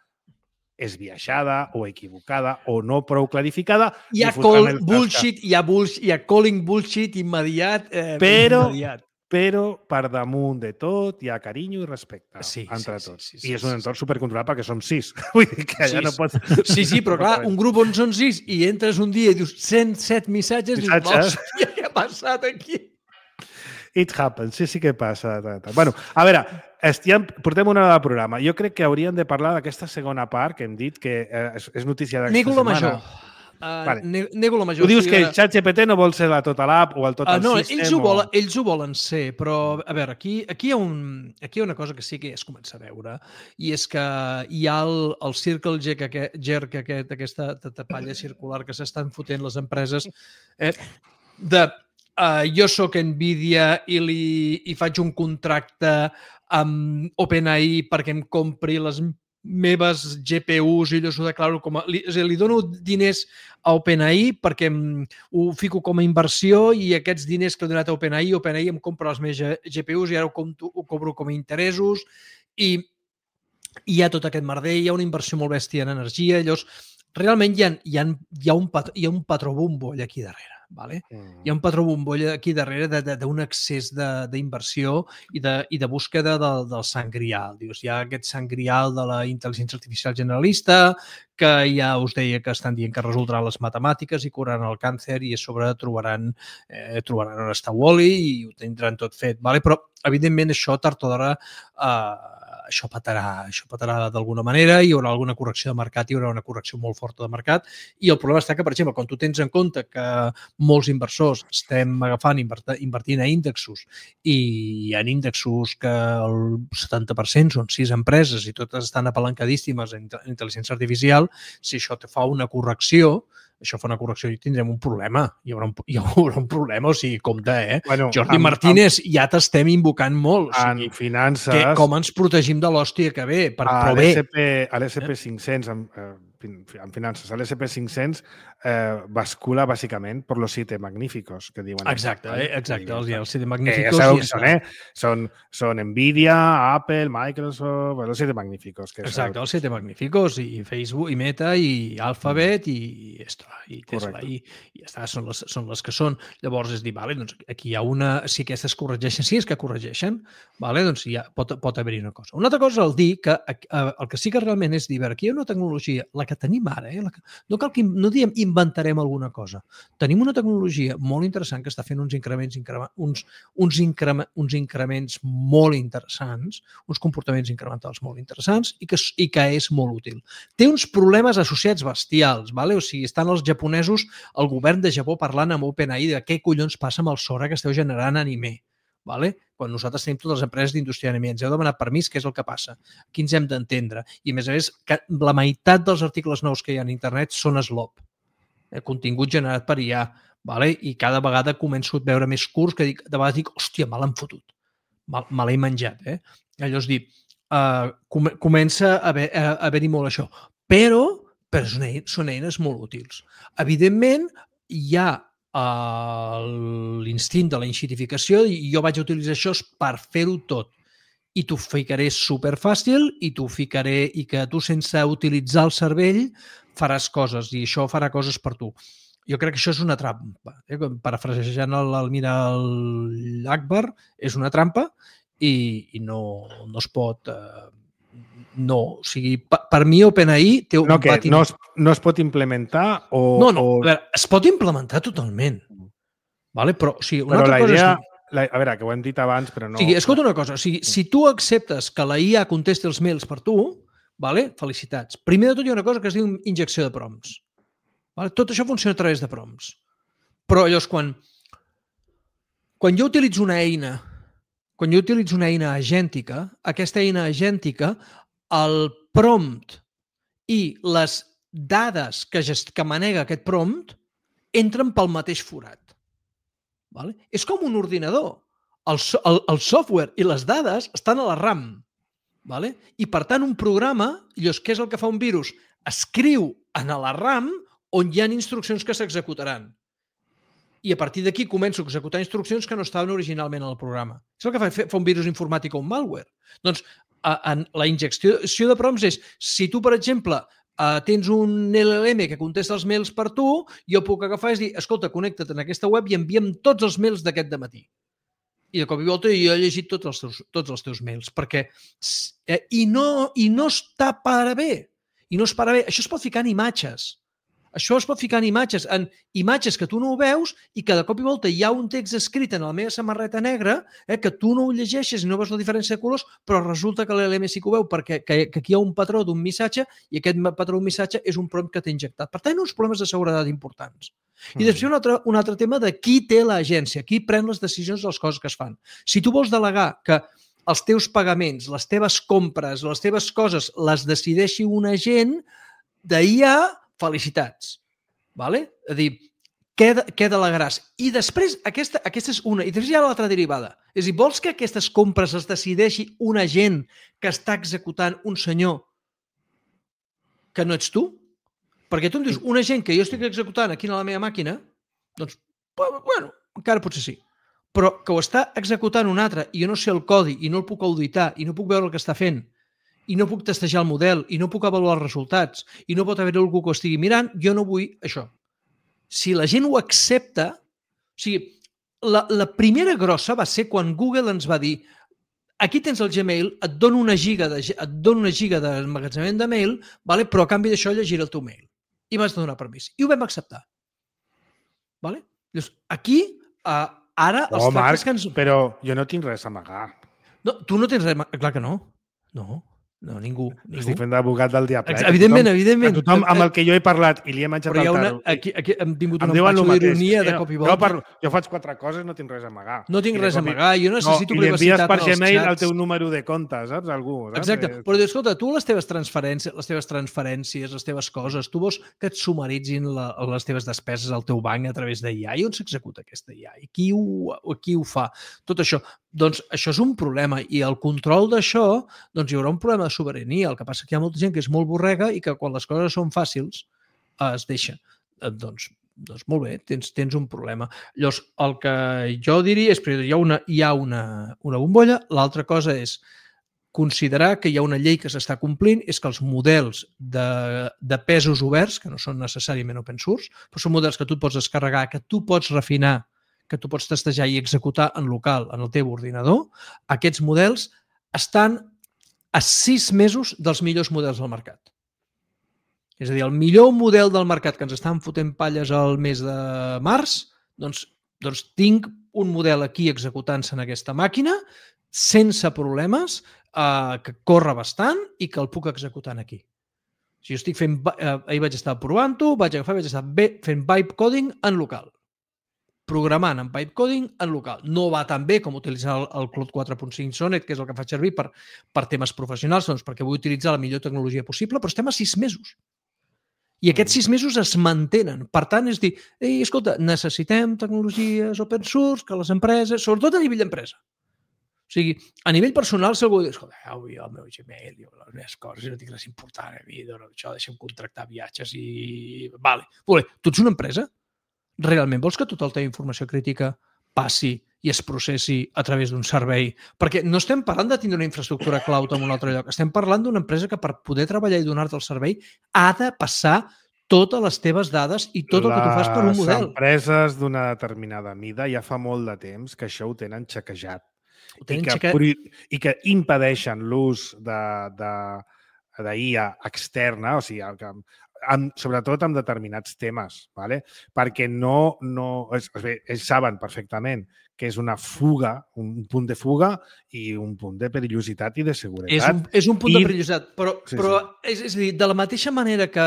esbiaixada o equivocada o no prou clarificada... Hi ha call bullshit, hi ha, bullshit, hi ha calling bullshit immediat. Eh, però, immediat. però per damunt de tot hi ha carinyo i respecte sí, entre sí, tots. Sí, sí, sí, I és un sí, entorn sí. supercontrolat perquè som sis. Vull dir que allà sis. no pots... Sí, sí, però clar, un grup on són sis i entres un dia i dius cent set missatges, missatges. dius, hòstia, què ha passat aquí? It happens, sí, sí que passa. Bueno, a veure, estem, portem una hora de programa. Jo crec que hauríem de parlar d'aquesta segona part que hem dit que és, és notícia d'aquesta Nego la setmana. major. Uh, vale. ne nego la major. Tu dius sí, que el ChatGPT no vol ser la tota l'app o el tot uh, el no, system? ells ho, o... volen, ells ho volen ser, però a veure, aquí, aquí, hi ha un, aquí hi ha una cosa que sí que ja es comença a veure i és que hi ha el, el circle jerk, aquest, jerk aquest, aquesta tapalla circular que s'estan fotent les empreses eh, de Uh, jo sóc Nvidia i, li, i faig un contracte amb OpenAI perquè em compri les meves G P Us i jo s'ho declaro com a... Li, és a dir, li dono diners a OpenAI perquè em, ho fico com a inversió i aquests diners que he donat a OpenAI, OpenAI em compra les meves G P Us i ara ho, compto, ho cobro com a interessos i, i hi ha tot aquest merder, hi ha una inversió molt bèstia en energia, llavors realment hi ha, hi ha, hi ha, un, patró, hi ha un patró bomboll aquí darrere. Vale? Mm. Hi ha un patró bombolla aquí darrere d'un excés d'inversió i, de, i de búsqueda del, del sant grial. Dius, hi ha aquest sant grial de la intel·ligència artificial generalista que ja us deia que estan dient que resoldran les matemàtiques i curaran el càncer i a sobre trobaran, eh, trobaran on està Wall-E i ho tindran tot fet. Vale? Però, evidentment, això tard o d'hora eh, això petarà, això petarà d'alguna manera, hi haurà alguna correcció de mercat, hi haurà una correcció molt forta de mercat i el problema està que, per exemple, quan tu tens en compte que molts inversors estem agafant, invertint a índexos i hi ha índexos que el setanta per cent són sis empreses i totes estan apalancadíssimes en intel·ligència artificial, si això te fa una correcció, això fa una correcció i tindrem un problema. Hi haurà un, hi haurà un problema, o sigui, compte, eh? Bueno, Jordi amb, Martínez, amb, ja t'estem invocant molt. O sigui, en finances... Que, com ens protegim de l'hòstia que ve? Per, a però bé. l'S and P cinc-cents, eh, en finances, el esse and pe cinc-cents eh, bascula bàsicament per los siete magníficos que diuen. Exacte, eh? exacte, els, els siete Eh, magníficos. ja sabeu i qui està. són, eh? Són, són Nvidia, Apple, Microsoft, els siete magníficos. Que Exacte, sabeu. els siete magníficos, i Facebook, i Meta, i Alphabet, i, i, està, i Tesla, Correcte. i, i ja està, són les, són les que són. Llavors és dir, vale, doncs aquí hi ha una... Si aquestes corregeixen, si és que corregeixen, vale, doncs ja pot, pot haver-hi una cosa. Una altra cosa és el dir que eh, el que sí que realment és dir, veure, aquí hi ha una tecnologia, la que tenim ara, eh, la que, no cal que no diem inventarem alguna cosa. Tenim una tecnologia molt interessant que està fent uns increments, increment, uns, uns, increment, uns increments molt interessants, uns comportaments incrementals molt interessants i que, i que és molt útil. Té uns problemes associats bestials, vale? O sigui, estan els japonesos, el govern de Japó parlant amb OpenAI de què collons passa amb el Sora que esteu generant anime. Vale? Quan nosaltres tenim totes les empreses d'indústria d'anime, ens heu demanat permís, què és el que passa? Aquí ens hem d'entendre. I, a més a més, que la meitat dels articles nous que hi ha a internet són slop, eh, contingut generat per I A, vale? I cada vegada començo a veure més curts que dic, de vegades dic, hòstia, me l'han fotut, me, me l'he menjat. Eh? Allò és dir, uh, com, comença a haver-hi haver molt això. Però, però són, eines, són eines molt útils. Evidentment, hi ha l'instint de la enxitificació i jo vaig utilitzar això per fer-ho tot. I t'ho ficaré superfàcil i t'ho ficaré i que tu sense utilitzar el cervell faràs coses i això farà coses per tu. Jo crec que això és una trampa. Eh? Parafrasejant l'almirall Akbar, és una trampa i, i no, no es pot... Eh, no, o sigui, per, per mi OpenAI té un no, que patin... no, es, no es pot implementar o... No, no, o... a veure, es pot implementar totalment. Vale? Però, o sigui, una però altra la cosa idea... és... La, a veure, que ho hem dit abans, però no... O sigui, escolta una cosa, o sigui, si tu acceptes que la I A contesti els mails per tu, vale? Felicitats. Primer de tot hi ha una cosa que es diu injecció de prompts. Vale? Tot això funciona a través de prompts. Però llavors, quan, quan jo utilitzo una eina, quan jo utilitzo una eina agèntica, aquesta eina agèntica, el prompt i les dades que, gest... que manega aquest prompt entren pel mateix forat. Vale? És com un ordinador. El, so, el, el software i les dades estan a la RAM. Vale? I, per tant, un programa, llavors, què és el que fa un virus? Escriu en la RAM on hi ha instruccions que s'executaran. I a partir d'aquí començo a executar instruccions que no estaven originalment al programa. És el que fa, fa un virus informàtic o un malware. Doncs a, a, la injecció de prompts és, si tu, per exemple, Uh, tens un L L M que contesta els mails per tu, jo puc agafar i dir, escolta, connecta't en aquesta web i envia'm tots els mails d'aquest dematí. I de cop i volta jo he llegit tots els teus, tots els teus mails, perquè eh, i, no, i no està per a bé. I no es para bé. Això es pot ficar en imatges. Això es pot ficar en imatges, en imatges que tu no ho veus i que de cop i volta hi ha un text escrit en la meva samarreta negra eh, que tu no ho llegeixes i no veus la diferència de colors, però resulta que l'L L M sí que ho veu perquè que, que aquí hi ha un patró d'un missatge i aquest patró d'un missatge és un prompt que t'ha injectat. Per tant, uns problemes de seguretat importants. I mm. després un altre, un altre tema de qui té l'agència, qui pren les decisions de les coses que es fan. Si tu vols delegar que els teus pagaments, les teves compres, les teves coses les decideixi un agent d'I A, felicitats. Vale? És a dir, què, què delegaràs? I després, aquesta, aquesta és una, i després hi ha l'altra derivada. És a dir, vols que aquestes compres es decideixi un agent que està executant un senyor que no ets tu? Perquè tu em dius, un agent que jo estic executant aquí a la meva màquina, doncs, bueno, encara potser sí. Però que ho està executant un altre i jo no sé el codi i no el puc auditar i no puc veure el que està fent i no puc testejar el model, i no puc avaluar els resultats, i no pot haver algú que ho estigui mirant, jo no vull això. Si la gent ho accepta... O sigui, la, la primera grossa va ser quan Google ens va dir aquí tens el Gmail, et dono una giga de, et dono una giga d'emmagatzemament de mail, vale? Però a canvi d'això llegiré el teu mail. I m'has de donar permís. I ho vam acceptar. Vale? Llavors, aquí, uh, ara... Oh, els Marc, que ens... però jo no tinc res a amagar. No, tu no tens res... Clar que no. No. No, ningú. ningú. Estic fent d'abogat del diable. Evidentment, tothom, evidentment. Tothom amb el que jo he parlat i li he menjat el una, taro. aquí, aquí hem tingut em un empatxo d'ironia de jo, cop i volta. Jo, parlo, jo faig quatre coses, no tinc res a amagar. No tinc res a amagar, jo necessito no, privacitat per en els Gmail xats. el teu número de compte, saps? Algú, saps? Exacte, però escolta, tu les teves transferències, les teves transferències, les teves coses, tu vols que et sumaritzin la, les teves despeses al teu banc a través d'I A i on s'executa aquesta I A? I qui ho, qui ho fa? Tot això. doncs això és un problema i el control d'això, doncs hi haurà un problema de sobirania. El que passa que hi ha molta gent que és molt borrega i que quan les coses són fàcils es deixa. Doncs, doncs molt bé, tens, tens un problema. Llavors, el que jo diria és que hi ha una, hi ha una, una bombolla, l'altra cosa és considerar que hi ha una llei que s'està complint, és que els models de, de pesos oberts, que no són necessàriament open source, però són models que tu pots descarregar, que tu pots refinar, que tu pots testejar i executar en local, en el teu ordinador, aquests models estan a sis mesos dels millors models del mercat. És a dir, el millor model del mercat que ens estan fotent palles al mes de març, doncs, doncs tinc un model aquí executant-se en aquesta màquina sense problemes, eh, que corre bastant i que el puc executar aquí. Si jo estic fent, eh, ahir vaig estar provant-ho, vaig agafar, vaig estar bé, fent vibe coding en local. Programant en pipe coding en local. No va tan bé com utilitzar el, el Cloud quatre punt cinc Sonnet, que és el que faig servir per, per temes professionals, doncs perquè vull utilitzar la millor tecnologia possible, però estem a sis mesos. I aquests sis mesos es mantenen. Per tant, és dir, ei, escolta, necessitem tecnologies open source, que les empreses, sobretot a nivell d'empresa. O sigui, a nivell personal, si algú diu, escolta, avui el meu Gmail, jo, les meves coses, no tinc res important a mi, no, això, deixa'm contractar viatges i... Vale. Vale. Tu ets una empresa? Realment vols que tota la teva informació crítica passi i es processi a través d'un servei? Perquè no estem parlant de tindre una infraestructura cloud en un altre lloc, estem parlant d'una empresa que per poder treballar i donar-te el servei ha de passar totes les teves dades i tot el que tu fas per un model. Les empreses d'una determinada mida ja fa molt de temps que això ho tenen xequejat. Ho tenen I, que, xequejat. I que impedeixen l'ús de, de, de I A externa, o sigui, que, amb, sobretot amb determinats temes, ¿vale? Perquè no, no és, ells saben perfectament que és una fuga, un punt de fuga i un punt de perillositat i de seguretat. És un, és un punt I... de perillositat, però, sí, però sí. És, és a dir, de la mateixa manera que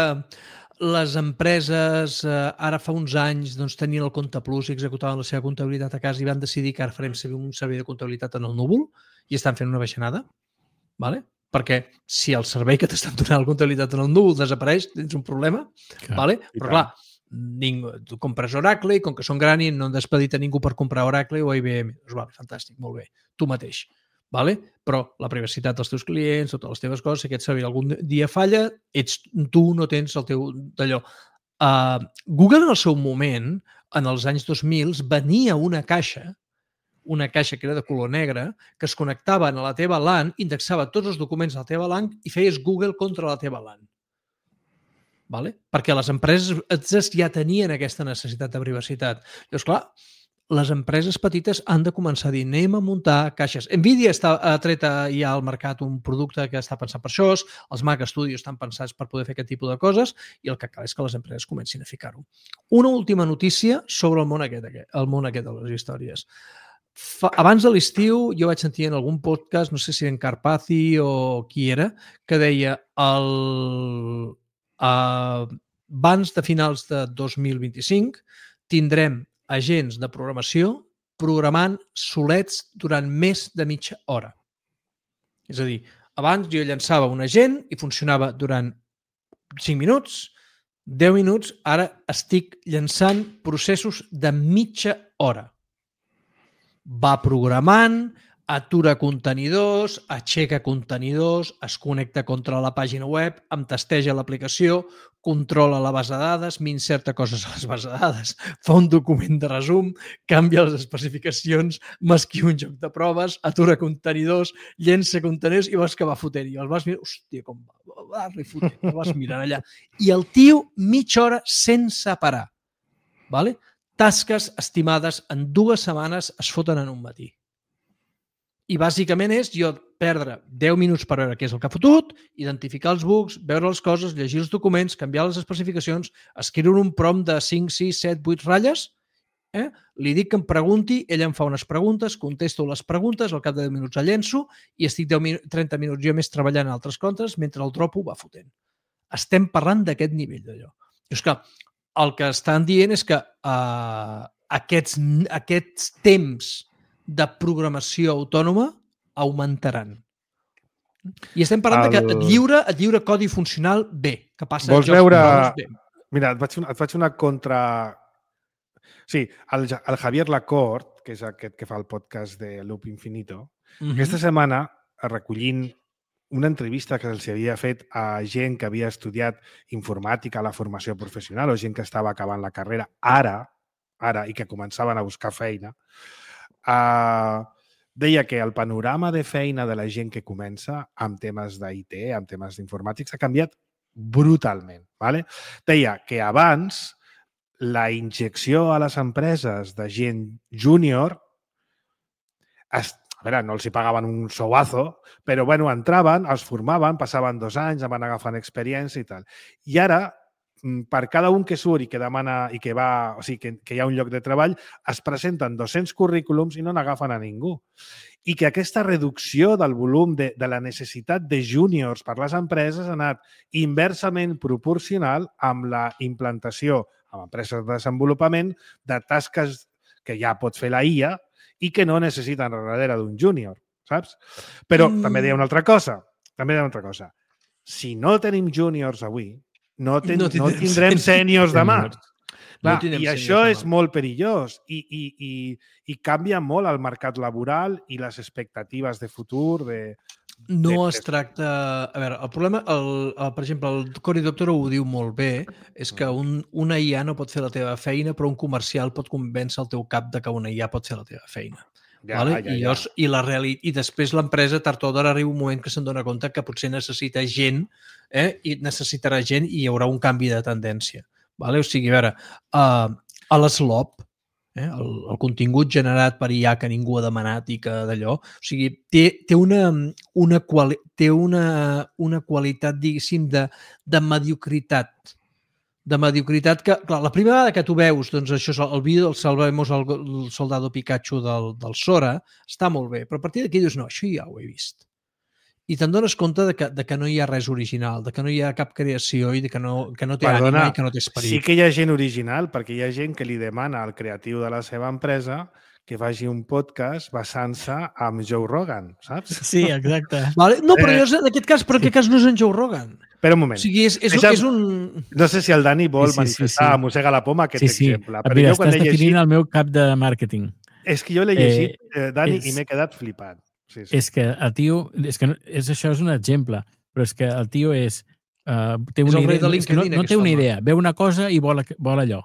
les empreses eh, ara fa uns anys doncs, tenien el Compte Plus i executaven la seva comptabilitat a casa i van decidir que ara farem un servei de comptabilitat en el núvol i estan fent una baixanada, ¿vale? Perquè si el servei que t'estan donant la comptabilitat en el núvol desapareix, tens un problema, clar, ¿vale? Però clar, ningú, tu compres Oracle i com que són gran i no han despedit a ningú per comprar Oracle o I B M. Doncs vale, fantàstic, molt bé, tu mateix. Vale? Però la privacitat dels teus clients, totes les teves coses, si aquest servei algun dia falla, ets, tu no tens el teu d'allò. Uh, Google en el seu moment, en els anys dos mil, venia una caixa, una caixa que era de color negre, que es connectava a la teva LAN, indexava tots els documents de la teva LAN i feies Google contra la teva LAN. Vale? Perquè les empreses ja tenien aquesta necessitat de privacitat. Llavors, clar, les empreses petites han de començar a dir anem a muntar caixes. Nvidia està treta ja al mercat un producte que està pensat per això, els Mac Studios estan pensats per poder fer aquest tipus de coses i el que cal és que les empreses comencin a ficar-ho. Una última notícia sobre el món aquest, el món aquest de les històries. Fa, abans de l'estiu jo vaig sentir en algun podcast, no sé si en Carpathy o qui era, que deia el, uh, abans de finals de dos mil vint-i-cinc tindrem agents de programació programant solets durant més de mitja hora. És a dir, abans jo llançava un agent i funcionava durant cinc minuts, deu minuts, ara estic llançant processos de mitja hora. Va programant, atura contenidors, aixeca contenidors, es connecta contra la pàgina web, em testeja l'aplicació, controla la base de dades, m'inserta coses a les bases de dades, fa un document de resum, canvia les especificacions, m'escriu un joc de proves, atura contenidors, llença contenidors i veus que va fotent. I el vas mirar, hòstia, com va, va fotent, el vas mirant allà. I el tio mitja hora sense parar. Vale? Tasques estimades en dues setmanes es foten en un matí. I bàsicament és jo perdre deu minuts per veure què és el que ha fotut, identificar els bugs, veure les coses, llegir els documents, canviar les especificacions, escriure un prompt de cinc, sis, set, vuit ratlles, eh? Li dic que em pregunti, ella em fa unes preguntes, contesto les preguntes, al cap de deu minuts el llenço i estic deu, trenta minuts jo més treballant en altres contes mentre el tropo va fotent. Estem parlant d'aquest nivell d'allò. És que el que estan dient és que uh, aquests, aquests temps de programació autònoma augmentaran. I estem parlant el... de que et lliure, et lliure codi funcional bé, que passa Vols jocs veure... bé. Mira, et faig, una, et faig una contra... Sí, el, el Javier Lacorte, que és aquest que fa el podcast de Loop Infinito, Mhm. aquesta setmana, recollint una entrevista que se'ls havia fet a gent que havia estudiat informàtica a la formació professional o gent que estava acabant la carrera ara, ara i que començaven a buscar feina, uh, deia que el panorama de feina de la gent que comença amb temes d'I T, amb temes d'informàtics, ha canviat brutalment. ¿Vale? Deia que abans la injecció a les empreses de gent júnior, es, a veure, no els hi pagaven un souazo, però bueno, entraven, els formaven, passaven dos anys, van agafant experiència i tal. I ara, per cada un que surt i que demana i que va, o sigui, que, que hi ha un lloc de treball, es presenten dos-cents currículums i no n'agafen a ningú. I que aquesta reducció del volum de, de la necessitat de júniors per les empreses ha anat inversament proporcional amb la implantació amb empreses de desenvolupament de tasques que ja pot fer la I A i que no necessiten darrere d'un júnior, saps? Però mm. també deia una altra cosa, també deia una altra cosa. Si no tenim júniors avui, no, ten, no, no tindrem sèniors demà. Clar, no I això és molt perillós i, i, i, i canvia molt el mercat laboral i les expectatives de futur. De, no de... es tracta... A veure, el problema, el, el, per exemple, el Cory Doctorow ho diu molt bé, és que un, una I A no pot fer la teva feina, però un comercial pot convèncer el teu cap de que una I A pot fer la teva feina. Ja, vale? ja, I, llavors, ja. I, la reali... I després l'empresa, tard o d'hora, arriba un moment que se'n dona compte que potser necessita gent, eh? I necessitarà gent i hi haurà un canvi de tendència. Vale? O sigui, a veure, uh, a l'Slop, eh, el, el contingut generat per I A que ningú ha demanat i que d'allò, o sigui, té, té, una, una, quali, té una, una qualitat, diguéssim, de, de mediocritat. De mediocritat que, clar, la primera vegada que tu veus, doncs això és el vídeo del Salvemos el, el soldado Pikachu del, del Sora, està molt bé, però a partir d'aquí dius, no, això ja ho he vist. I te'n dones compte de que, de que no hi ha res original, de que no hi ha cap creació i de que no, que no té Perdona, ànima i que no té esperit. Sí que hi ha gent original, perquè hi ha gent que li demana al creatiu de la seva empresa que faci un podcast basant-se amb Joe Rogan, saps? Sí, exacte. Vale? No, però jo, en aquest cas, però en aquest cas no és en Joe Rogan. Espera un moment. O sigui, és, és, Deixa, és un... No sé si el Dani vol sí, sí, manifestar, sí, sí. mossega la poma, aquest sí, sí. exemple. Però Mira, estàs definint llegit... el meu cap de màrqueting. És que jo l'he llegit, eh, Dani, és... i m'he quedat flipat. Sí, sí. És que el tio... És que és, això és un exemple, però és que el tio és... Uh, té una idea, és que no, no té una idea. Veu una cosa i vol, vol allò.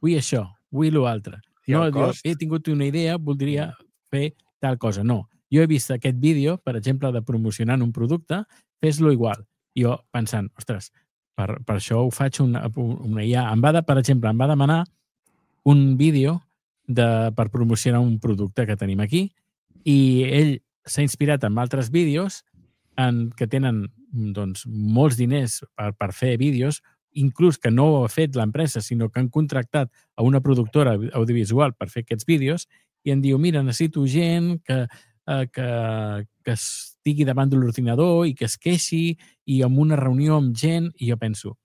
Vull això, vull l'altre. No diu, he tingut una idea, voldria fer tal cosa. No. Jo he vist aquest vídeo, per exemple, de promocionant un producte, fes-lo igual. Jo pensant, ostres, per, per això ho faig una, una I A. Em va de, per exemple, em va demanar un vídeo de, per promocionar un producte que tenim aquí i ell s'ha inspirat en altres vídeos en, que tenen doncs, molts diners per, per fer vídeos, inclús que no ho ha fet l'empresa, sinó que han contractat a una productora audiovisual per fer aquests vídeos i em diu, mira, necessito gent que, eh, que, que estigui davant de l'ordinador i que es queixi i en una reunió amb gent, i jo penso,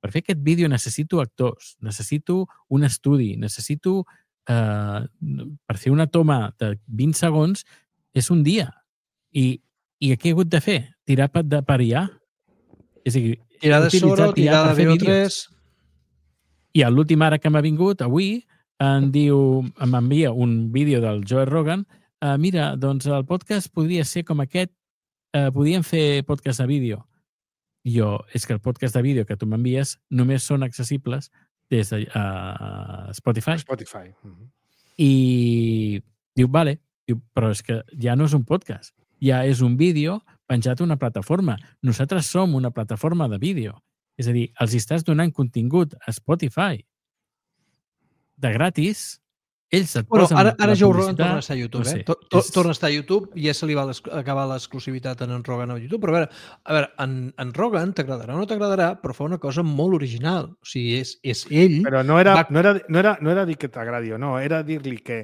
per fer aquest vídeo necessito actors, necessito un estudi, necessito eh, per fer una toma de vint segons és un dia. I, i què he hagut de fer? Tirar de per I A? És a dir, tirar de Soro, tirar de V O tres... I a l'últim ara que m'ha vingut, avui, em diu, m'envia un vídeo del Joe Rogan, uh, mira, doncs el podcast podria ser com aquest, uh, podríem fer podcast de vídeo. I jo, és que el podcast de vídeo que tu m'envies només són accessibles des de uh, Spotify. Spotify. Uh-huh. I diu, vale, diu, però és que ja no és un podcast, ja és un vídeo penjat a una plataforma. Nosaltres som una plataforma de vídeo. És a dir, els estàs donant contingut a Spotify de gratis, ells et bueno, posen ara, ara la Joe publicitat... Rogan torna a estar a YouTube, no sé, eh? To, to, és... Torna a estar a YouTube, ja se li va acabar l'exclusivitat en en Rogan a YouTube, però a veure, a veure en, en Rogan t'agradarà o no t'agradarà, però fa una cosa molt original. O sigui, és, és ell... Però no era, va... no era, no era, no era dir que t'agradi o no, era dir-li que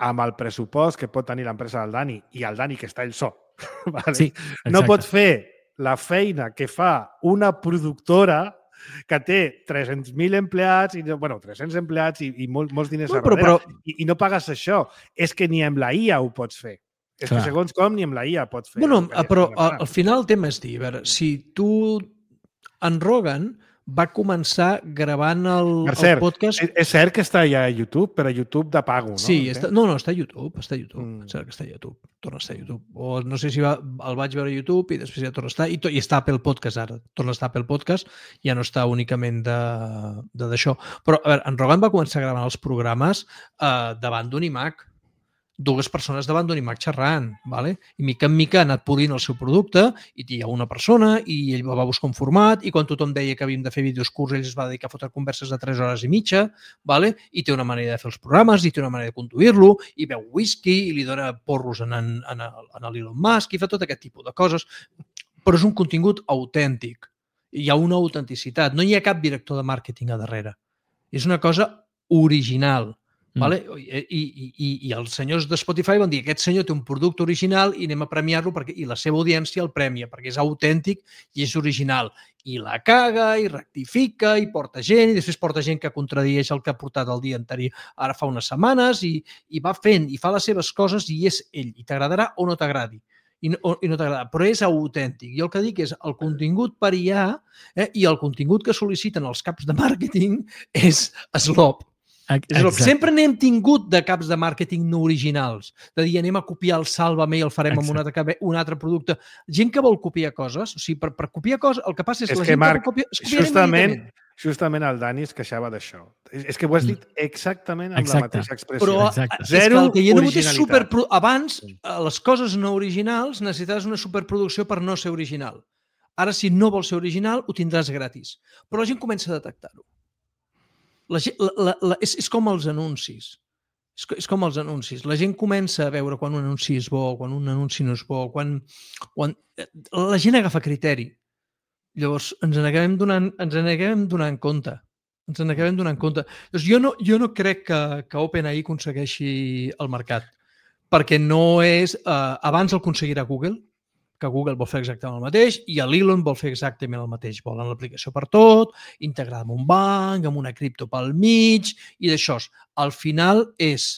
amb el pressupost que pot tenir l'empresa del Dani i el Dani que està ell sol, vale? Sí, no pot fer la feina que fa una productora que té tres-cents mil empleats, i, bueno, tres-cents empleats i, i molts, molts diners no, a darrere, però, però... I, i no pagues això. És que ni amb la I A ho pots fer. És Clar. que segons com ni amb la I A pots fer. Bueno, però al, al final el tema és dir, a veure, si tu en Rogan va començar gravant el, Per el cert, podcast... és, és cert que està ja a YouTube, però a YouTube de pago, no? Sí, està, no, no, està a YouTube, està a YouTube, Mm. mm. sembla que està a YouTube, torna a estar a YouTube. O no sé si va, el vaig veure a YouTube i després ja torna a estar, i, to, i està a Apple Podcast ara, torna a estar a Apple Podcast, ja no està únicament de d'això. Però, a veure, en Rogan va començar gravant els programes eh, davant d'un iMac, dues persones davant d'un iMac xerrant, vale? I mica en mica ha anat polint el seu producte i hi ha una persona i ell va buscar un format i quan tothom deia que havíem de fer vídeos curts ell es va dedicar a fotre converses de tres hores i mitja, vale? I té una manera de fer els programes i té una manera de conduir-lo i beu whisky i li dona porros en, en, en, en l'Elon Musk i fa tot aquest tipus de coses. Però és un contingut autèntic. Hi ha una autenticitat. No hi ha cap director de màrqueting a darrere. És una cosa original. Vale? I, i, i, I els senyors de Spotify van dir aquest senyor té un producte original i anem a premiar-lo perquè i la seva audiència el premia perquè és autèntic i és original i la caga i rectifica i porta gent i després porta gent que contradieix el que ha portat el dia anterior ara fa unes setmanes i, i va fent i fa les seves coses i és ell i t'agradarà o no t'agradi i no, i no t'agrada, però és autèntic. Jo el que dic és el contingut per I A eh, i el contingut que sol·liciten els caps de màrqueting és slop. Exacte. Sempre n'hem tingut de caps de màrqueting no originals, de dir anem a copiar el Sálvame i el farem Exacte. amb un altre, un altre producte. Gent que vol copiar coses, o sigui, per, per copiar coses, el que passa és, és la que, gent Marc, que copia, es justament, justament el Dani es queixava d'això. És, és que ho has dit exactament amb Exacte. la mateixa expressió. Però Exacte. Zero és que el que hi ha hagut és super... Abans, les coses no originals necessitaves una superproducció per no ser original. Ara, si no vols ser original, ho tindràs gratis. Però la gent comença a detectar-ho. La, la, la, la, és, és com els anuncis. És, és com els anuncis. La gent comença a veure quan un anunci és bo, quan un anunci no és bo, quan, quan... La gent agafa criteri. Llavors, ens n'acabem donant, ens n'acabem donant compte. Ens n'acabem donant compte. Llavors, jo no, jo no crec que, que OpenAI aconsegueixi el mercat, perquè no és... Eh, abans el aconseguirà Google, que Google vol fer exactament el mateix i l'Elon vol fer exactament el mateix. Volen l'aplicació per tot, integrada amb un banc, amb una cripto pel mig i d'això. Al final és...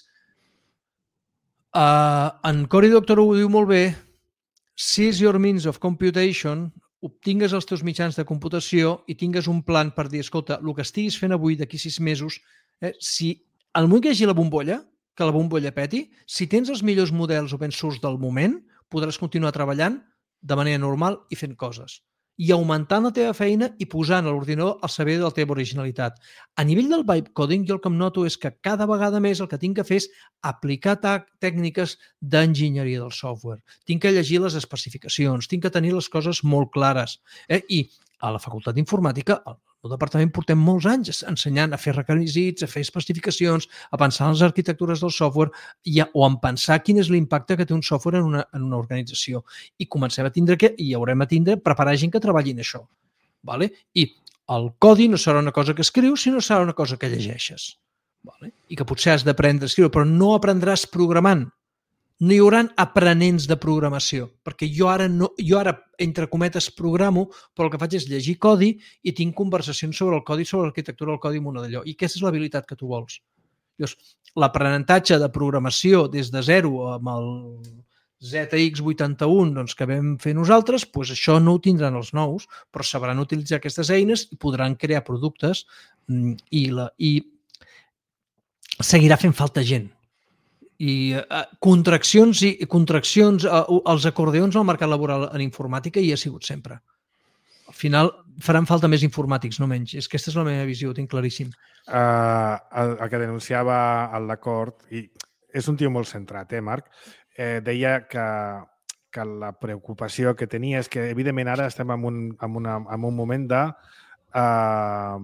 Uh, en Cory Doctorow ho diu molt bé, seize your means of computation, obtingues els teus mitjans de computació i tingues un plan per dir, escolta, el que estiguis fent avui d'aquí sis mesos, eh, si al moment que hi hagi la bombolla, que la bombolla peti, si tens els millors models open source del moment, podràs continuar treballant de manera normal i fent coses. I augmentant la teva feina i posant a l'ordinador al servei de la teva originalitat. A nivell del vibe coding, jo el que em noto és que cada vegada més el que tinc que fer és aplicar tècniques d'enginyeria del software. Tinc que llegir les especificacions, tinc que tenir les coses molt clares. Eh? I a la Facultat d'Informàtica, al meu departament portem molts anys ensenyant a fer requisits, a fer especificacions, a pensar en les arquitectures del software i a, o en pensar quin és l'impacte que té un software en una, en una organització. I comencem a tindre que, i haurem a tindre, preparar gent que treballi en això. Vale? I el codi no serà una cosa que escrius, sinó serà una cosa que llegeixes. Vale? I que potser has d'aprendre a escriure, però no aprendràs programant. No hi haurà aprenents de programació, perquè jo ara, no, jo ara entre cometes, programo, però el que faig és llegir codi i tinc conversacions sobre el codi, sobre l'arquitectura del codi amb una d'allò. I aquesta és l'habilitat que tu vols. L'aprenentatge de programació des de zero amb el Z X vuitanta-un doncs, que vam fer nosaltres, doncs això no ho tindran els nous, però sabran utilitzar aquestes eines i podran crear productes i, la, i seguirà fent falta gent. I uh, contraccions i contraccions, uh, els acordeons al mercat laboral en informàtica hi ha sigut sempre. Al final faran falta més informàtics, no menys. És que aquesta és la meva visió, ho tinc claríssim. Uh, el, el que denunciava l'acord, i és un tio molt centrat, eh, Marc? Eh, deia que, que la preocupació que tenia és que, evidentment, ara estem en un, en una, en un moment de, uh,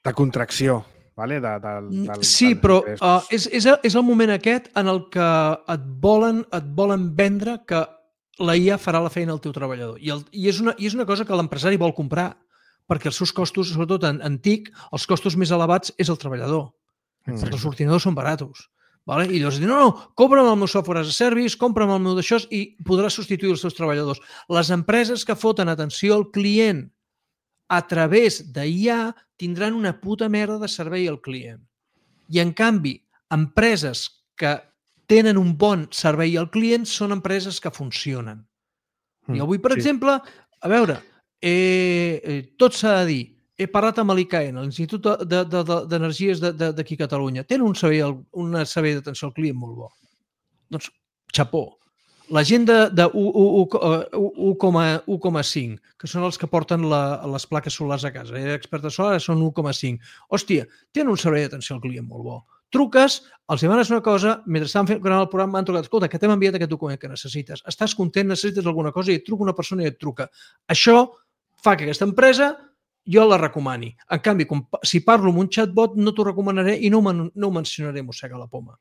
de contracció. Vale? De, de, del, sí, però uh, és, és, és el moment aquest en el que et volen, et volen vendre que la I A farà la feina al teu treballador. I, el, i, és, una, i és una cosa que l'empresari vol comprar, perquè els seus costos, sobretot en, en T I C, els costos més elevats és el treballador. Mm. Els ordinadors són baratos. Vale? I llavors diuen, no, no, compra'm el meu software as a service, compra'm el meu d'això i podràs substituir els seus treballadors. Les empreses que foten atenció al client a través d'I A tindran una puta merda de servei al client. I, en canvi, empreses que tenen un bon servei al client són empreses que funcionen. Mm, I avui, per sí. exemple, a veure, he, eh, tot s'ha de dir, he parlat amb l'I C A E N, l'Institut d'Energies d'aquí a Catalunya. Tenen un servei, un servei d'atenció al client molt bo. Doncs, xapó. La gent de, de u coma cinc, que són els que porten la, les plaques solars a casa, eh? Expertes solars són u coma cinc. Hòstia, tenen un servei d'atenció al client molt bo. Truques, els demanes una cosa, mentre estan fent el programa m'han trucat, escolta, que t'hem enviat aquest document que necessites. Estàs content, necessites alguna cosa i et truca una persona i et truca. Això fa que aquesta empresa jo la recomani. En canvi, com, si parlo amb un chatbot, no t'ho recomanaré i no, no ho mencionaré, mossega la poma.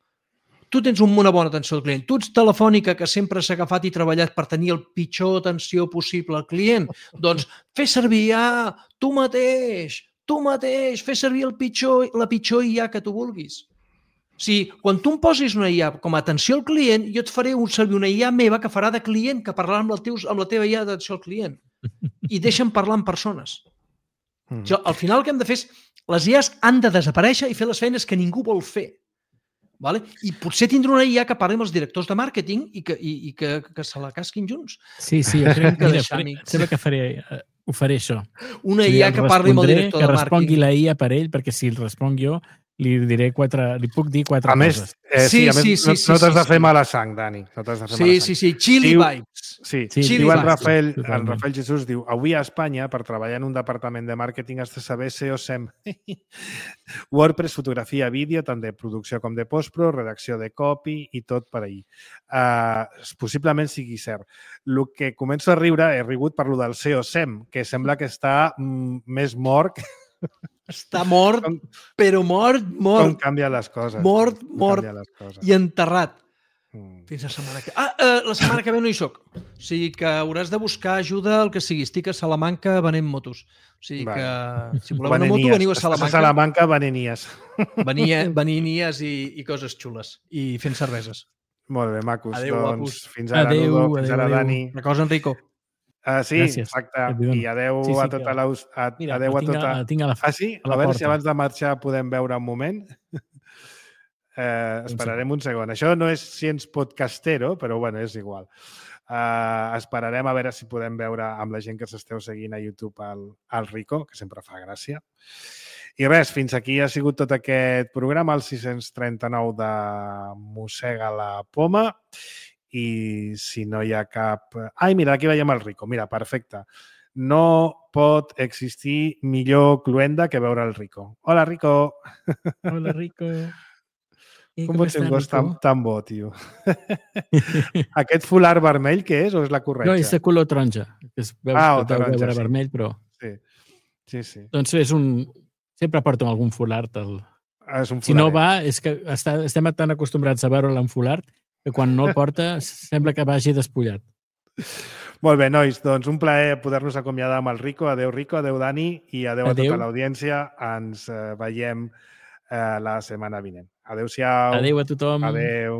Tu tens una bona atenció al client. Tu ets Telefònica, que sempre s'ha agafat i treballat per tenir el pitjor atenció possible al client. Doncs fes servir I A, tu mateix, tu mateix, fes servir el pitjor, la pitjor I A que tu vulguis. O sigui, quan tu em posis una I A com a atenció al client, jo et faré un servir una I A meva que farà de client, que parlarà amb, teus, amb la teva I A d'atenció al client. I deixa'm parlar amb persones. Mm. Jo, al final el que hem de fer és... Les I As han de desaparèixer i fer les feines que ningú vol fer. Vale? I potser tindrà una I A que parli amb els directors de màrqueting i que, i, i que, que se la casquin junts. Sí, sí, jo crec que mira, faré, sembla que faré, ho faré això. Una I A que parli amb el director de màrqueting. Que respongui la I A per ell, perquè si el responc jo, li diré quatre, li puc dir quatre a més, coses. Eh, sí, sí, a més, sí, sí, no, no t'has sí, de fer sí. mala sang, Dani. No t'has de fer sí, mala sang. sí, sí, chili diu, vibes. Sí, sí diu en vibes, Rafael, sí, en Rafael Jesús, diu, avui a Espanya, per treballar en un departament de màrqueting has de saber S E O S E M. WordPress, fotografia, vídeo, tant de producció com de postpro, redacció de copy i tot per ahir. Uh, possiblement sigui cert. El que començo a riure, he rigut per lo del S E O S E M, que sembla que està mm, més mort que... Està mort, com, però mort, mort. Com canvia les coses. Mort, mort les coses. i enterrat. Mm. Fins la setmana que... Ah, eh, la setmana que ve no hi soc. O sigui que hauràs de buscar ajuda al que sigui. Estic a Salamanca venent motos. O sigui que si voleu una moto, veniu a Salamanca. Estàs a Salamanca venenies. Veninies i, i coses xules. I fent cerveses. Molt bé, macos. Adéu, doncs, guapos. Fins ara, adéu, Ludo. Fins adéu, ara, adéu. Dani. Una cosa, Enrico. Uh, sí, Gràcies. exacte. I adeu sí, sí, a tota la... A, mira, adeu a tinc tota... A, tinc a la, ah, sí? a, la a veure porta. si abans de marxar podem veure un moment. Uh, esperarem un segon. Això no és Cients Podcastero, però bueno, és igual. Uh, esperarem a veure si podem veure amb la gent que s'esteu seguint a YouTube el, el Rico, que sempre fa gràcia. I res, fins aquí ha sigut tot aquest programa, el sis-cents trenta-nou de Mossega la Poma. I si no hi ha cap... Ai, mira, aquí veiem el Rico. Mira, perfecte. No pot existir millor cluenda que veure el Rico. Hola, Rico. Hola, Rico. I com, com pot ser un gos tan, Rico? tan bo, tio? Aquest folar vermell, què és? O és la corretja? No, és de color taronja. Es veu, ah, o taronja, veure sí. vermell, però... Sí, sí, sí. Doncs és un... Sempre porto algun folart. El... És un si no va, és que està, estem tan acostumbrats a veure'l en folart que quan no el porta sembla que vagi despullat. Molt bé, nois, doncs un plaer poder-nos acomiadar amb el Rico. Adéu, Rico, adéu, Dani, i adéu, adéu. a tota l'audiència. Ens eh, veiem eh, la setmana vinent. Adéu-siau. Adéu a tothom. Adéu.